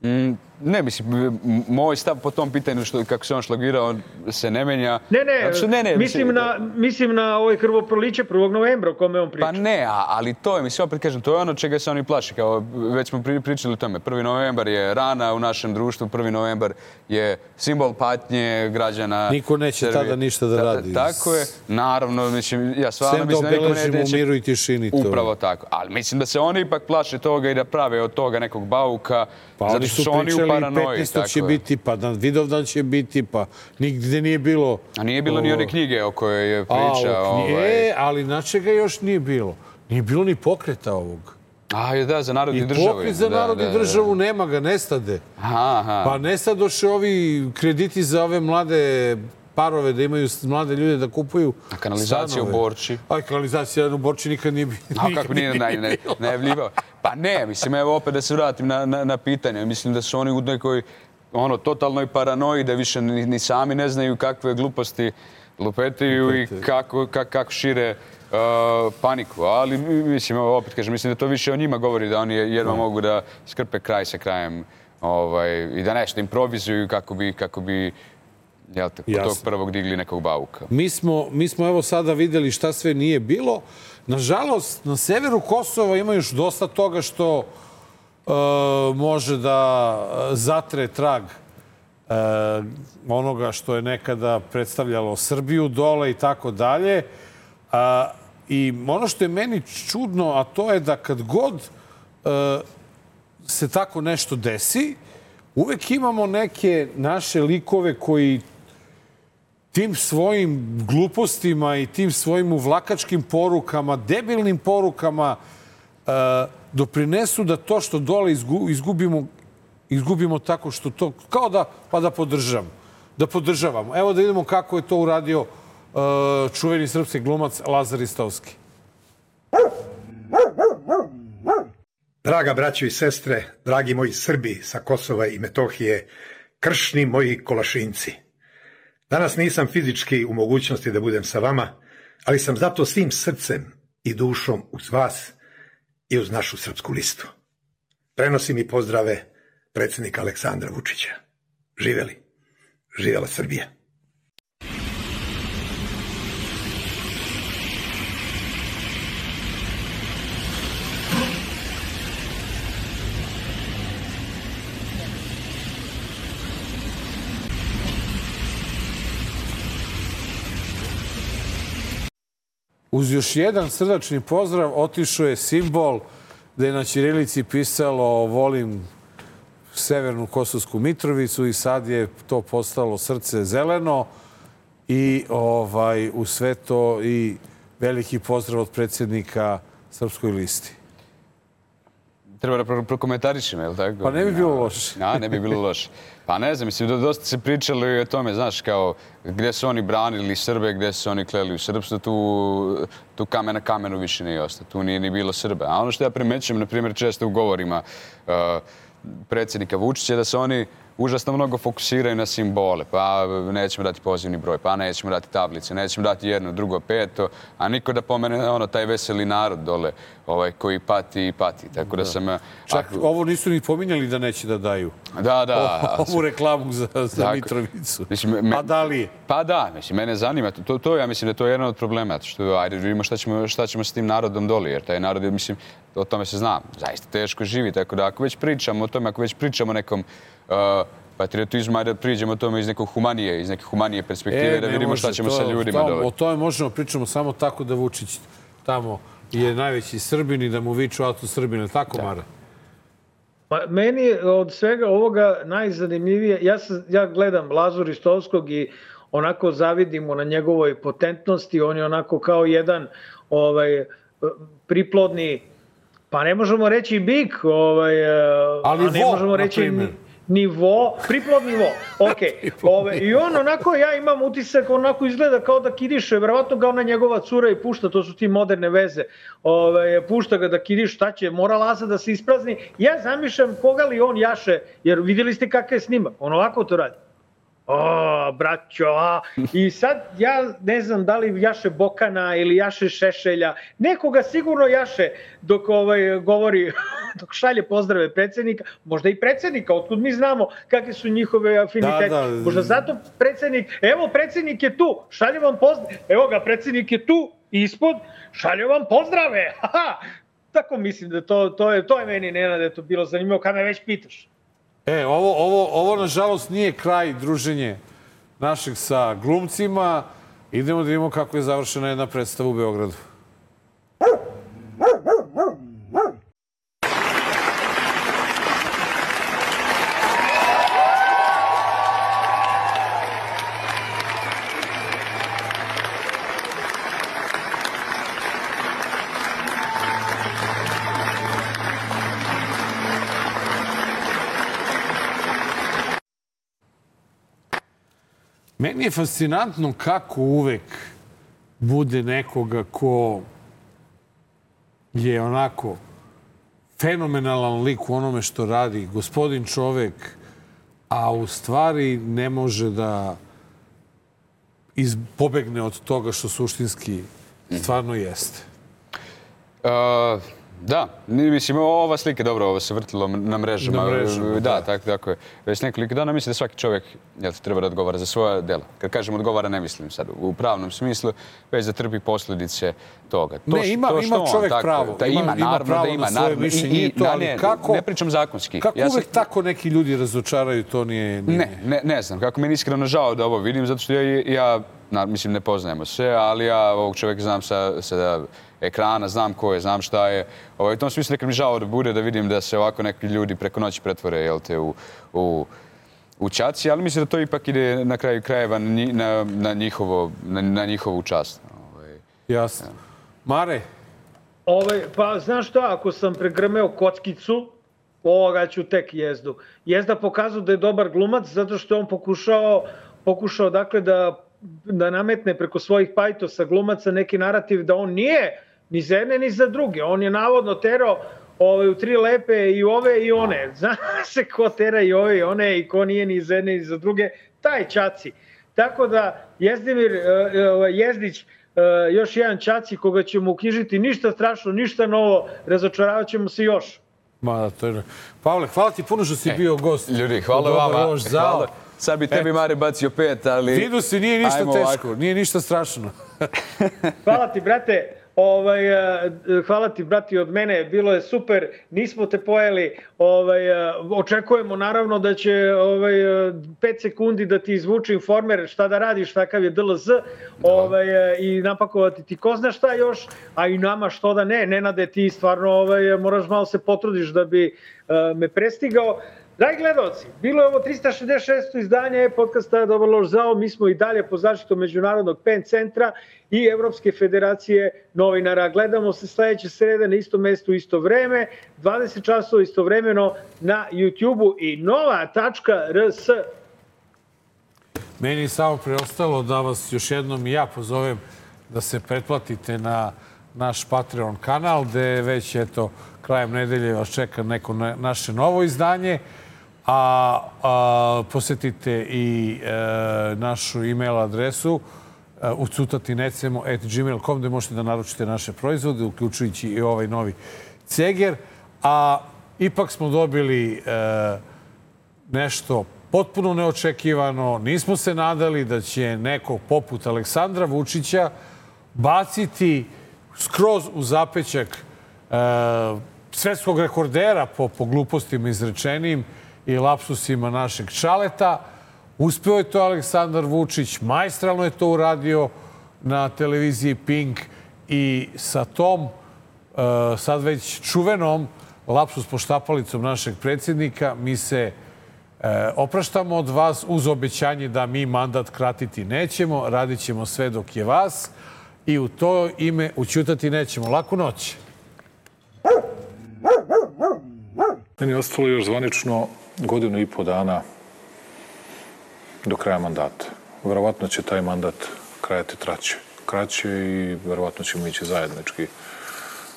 Mm, ne, mislim, moj stav po tom pitanju što, kako se on šlagirao se ne menja. Ne, ne, što, ne, ne mislim, mislim, na, mislim na ovoj krvoproliće prvog novembra o kome on priča. Pa ne, a, ali to je, mislim, opet kažem, to je ono čega se oni plaši. Kao, već smo pri, pričali o tome. prvi novembar je rana u našem društvu, prvi novembar je simbol patnje građana. Niko neće Srbije. Tada ništa da radi. Ta, tako je, naravno, mislim, ja stvarno Sem mislim da niko ne, neće... miru i tišini. To. Upravo tako. Ali mislim da se oni ipak plaše toga i da prave od toga nekog bauka. Pa oni su pričali petnaestog će biti, pa dan Vidovdan će biti, pa nigde nije bilo... A nije bilo o... ni one knjige o kojoj je priča. A, knjige, ovaj... ali na čega još nije bilo? Nije bilo ni pokreta ovog. A, da, za narod i državu. I pokret za narod i državu nema ga, nestade. Aha, aha. Pa nestadoše ovi krediti za ove mlade parove, da imaju mlade ljude da kupuju A kanalizacija u Borči? A kanalizacija u Borči nikad nije bilo. A kako nije najavljivao? Pa ne, mislim, evo opet da se vratim na, na, na pitanje. Mislim da su oni u nekoj ono, totalnoj paranoji, da više ni, ni sami ne znaju kakve gluposti lupetaju i kako, kako, kako šire uh, paniku. Ali, mislim, evo opet kažem, mislim da to više o njima govori, da oni jedva mogu da skrpe kraj sa krajem ovaj, i da nešto improvizuju kako bi, kako bi jel te, kod tog prvog digli nekog bauka. Mi smo, mi smo evo sada videli šta sve nije bilo. Nažalost, na severu Kosova ima još dosta toga što uh, može da zatre trag uh, onoga što je nekada predstavljalo Srbiju dole i tako dalje. I ono što je meni čudno, a to je da kad god uh, se tako nešto desi, uvek imamo neke naše likove koji tim svojim glupostima i tim svojim uvlakačkim porukama, debilnim porukama uh, doprinesu da to što dole izgubimo, izgubimo tako što to, kao da, pa da podržavamo. Da podržavamo. Evo da vidimo kako je to uradio uh, čuveni srpski glumac Lazar Istovski. Draga braćo i sestre, dragi moji Srbi sa Kosova i Metohije, kršni moji kolašinci. Danas nisam fizički u mogućnosti da budem sa vama, ali sam zato svim srcem i dušom uz vas i uz našu srpsku listu. Prenosim i pozdrave predsjednika Aleksandra Vučića. Živeli. Živela Srbija. uz još jedan srdačni pozdrav otišao je simbol gde je na ćirilici pisalo volim Severnu Kosovsku Mitrovicu i sad je to postalo srce zeleno i ovaj, u sve to i veliki pozdrav od predsjednika Srpskoj listi. Treba da prokomentarišem, je li tako? Pa ne bi bilo loše. Ja, ne bi bilo loše. Pa ne znam, mislim, dosta se pričali o tome, znaš, kao gdje su oni branili Srbe, gdje su oni kleli u srpstvo, tu, tu kamen na kamenu više nije ostao. Tu nije ni bilo Srbe. A ono što ja primećujem, na primjer, često u govorima uh, predsjednika Vučića, da se oni užasno mnogo fokusiraju na simbole. Pa nećemo dati pozivni broj, pa nećemo dati tablice, nećemo dati jedno, drugo, peto, a niko da pomene ono, taj veseli narod dole ovaj, koji pati i pati. Tako da, da sam... Čak ako... ovo nisu ni pominjali da neće da daju. Da, da. O, ovu reklamu za, za dakle, Mitrovicu. Mislim, me, a da li je? Pa da, mislim, mene zanima. To, to ja mislim da je to jedan od problema. Što, ajde, vidimo šta ćemo, šta ćemo s tim narodom doli, jer taj narod, mislim, o tome se zna, zaista teško živi. Tako da ako već pričamo o tome, ako već pričamo o nekom uh, patriotizmu, ajde da priđemo o tome iz nekog humanije, iz neke humanije perspektive, e, da vidimo može, šta ćemo to, sa ljudima to, dole. O tome možemo pričamo samo tako da Vučić tamo je najveći Srbin i da mu viču auto Srbine. Tako, da. Mara? Pa, meni od svega ovoga najzanimljivije, ja, sam, ja gledam Lazu Ristovskog i onako zavidimo na njegovoj potentnosti, on je onako kao jedan ovaj, priplodni, pa ne možemo reći bik, ovaj, ali a ne vo, možemo reći nivo, priplod nivo. Okay. Ove, I on onako, ja imam utisak, onako izgleda kao da kidiše, verovatno ga ona njegova cura i pušta, to su ti moderne veze, Ove, pušta ga da kidiš, šta će, mora Laza da se isprazni. Ja zamišljam koga li on jaše, jer vidjeli ste kakav je snimak, on ovako to radi. O, braćo, a. I sad ja ne znam da li jaše Bokana ili jaše Šešelja, nekoga sigurno jaše dok ovaj, govori, dok šalje pozdrave predsjednika, možda i predsjednika, otkud mi znamo kakve su njihove afinitete. Da, da. Možda zato predsjednik, evo predsjednik je tu, šalje vam pozdrave, evo ga predsjednik je tu, ispod, šalje vam pozdrave, haha. Tako mislim da to, to, je, to je meni, Nenade, to bilo zanimljivo, kad me već pitaš. E, ovo, ovo, ovo, nažalost, nije kraj druženje našeg sa glumcima. Idemo da vidimo kako je završena jedna predstava u Beogradu. Meni je fascinantno kako uvek bude nekoga ko je onako fenomenalan lik u onome što radi, gospodin čovek, a u stvari ne može da pobegne od toga što suštinski stvarno jeste. Uh... Da, mislim, ova slika, dobro, ovo se vrtilo na mrežama. Na mrežama, da. Da, tako, tako je. Već nekoliko dana mislim da svaki čovjek jel, treba da odgovara za svoje dela. Kad kažem odgovara, ne mislim sad u pravnom smislu, već da trpi posljedice toga. To, ne, ima, to ima čovjek on, pravo. Da, ima, ima, naravno, ima pravo da ima, na svoje naravno, mišljenje i, i to, ali ne, kako... Ne pričam zakonski. Kako ja uvek sam, tako neki ljudi razočaraju, to nije... nije... Ne, ne, ne znam. Kako meni iskreno žao da ovo vidim, zato što ja, ja na, mislim, ne poznajemo sve, ali ja ovog čovjeka znam sa... sa ekrana, znam ko je, znam šta je. Ovaj, u tom smislu nekad mi žao da bude da vidim da se ovako neki ljudi preko noći pretvore jel te, u, u, u čaci, ali mislim da to ipak ide na kraju krajeva na, na, na, njihovo, na, na njihovu čast. Ovaj, jasno. Ja. Mare? Ovaj, pa znaš šta, ako sam pregrmeo kockicu, ovoga ću tek Jezdu. Jezda pokazao da je dobar glumac zato što je on pokušao, pokušao dakle da, da nametne preko svojih pajtosa glumaca neki narativ da on nije ni za jedne, ni za druge. On je navodno terao ove, u tri lepe i ove i one. Zna se ko tera i ove i one i ko nije ni za jedne, ni za druge. Taj Čaci. Tako da Jezdimir Jezdić, još jedan Čaci koga ćemo uknjižiti, ništa strašno, ništa novo, razočaravat ćemo se još. Ma da, to je... Pavle, hvala ti puno što si e, bio gost. Ljudi, hvala vama. Hvala. Sad bi tebi, Mare, bacio pet, ali... Vidu si, nije ništa teško, nije ništa strašno. Hvala ti, brate. ovaj, hvala ti, brati, od mene, bilo je super, nismo te pojeli, ovaj, očekujemo naravno da će ovaj, pet sekundi da ti izvuče Informer šta da radiš, takav je D L Z, ovaj, i napakovati ti ko zna šta još, a i nama što da ne, Nenade, ti stvarno ovaj, moraš malo se potrudiš da bi uh, me prestigao. Dragi gledalci, bilo je ovo trista šezdeset šesto izdanje podcasta Dobar loš zao. Mi smo i dalje pod zaštitom Međunarodnog PEN centra i Evropske federacije novinara. Gledamo se sledeće srede na istom mestu, isto vreme, dvadeset časova istovremeno na YouTube-u i nova tačka R S. Meni je samo preostalo da vas još jednom i ja pozovem da se pretplatite na naš Patreon kanal, gde već, eto, krajem nedelje vas čeka neko na, naše novo izdanje, a, a posetite i e, našu e-mail adresu e, ucutatinecemo at gmail dot com gde možete da naručite naše proizvode, uključujući i ovaj novi ceger. A ipak smo dobili e, nešto potpuno neočekivano. Nismo se nadali da će neko poput Aleksandra Vučića baciti skroz u zapećak e, svetskog rekordera po, po glupostima izrečenim i lapsusima našeg Čaleta. Uspeo je to Aleksandar Vučić, majstralno je to uradio na televiziji Pink i sa tom, e, sad već čuvenom lapsus poštapalicom našeg predsjednika, mi se e, opraštamo od vas uz obećanje da mi mandat kratiti nećemo, radit ćemo sve dok je vas i u to ime ućutati nećemo. Laku noć. Meni je ostalo još zvanično godinu i po dana do kraja mandata. Verovatno će taj mandat krajati traće. Kraće i verovatno ćemo ići zajednički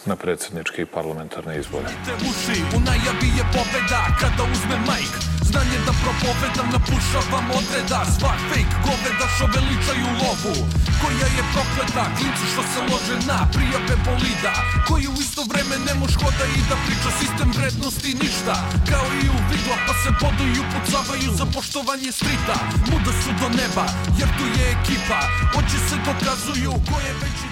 na predsjedničke i parlamentarne izbore. Uši, u najavi je pobeda kada uzme majk. Znanje da propovedam, napušavam odreda. Svak fake goveda što veličaju lovu. Koja je prokleta, klinci što se lože na prijave bolida. Koji u isto vreme ne moš hoda i da priča sistem vrednosti ništa. Kao i u vidla pa se bodu i upucavaju za poštovanje strita. Muda su do neba jer tu je ekipa. Oči se dokazuju ko je veći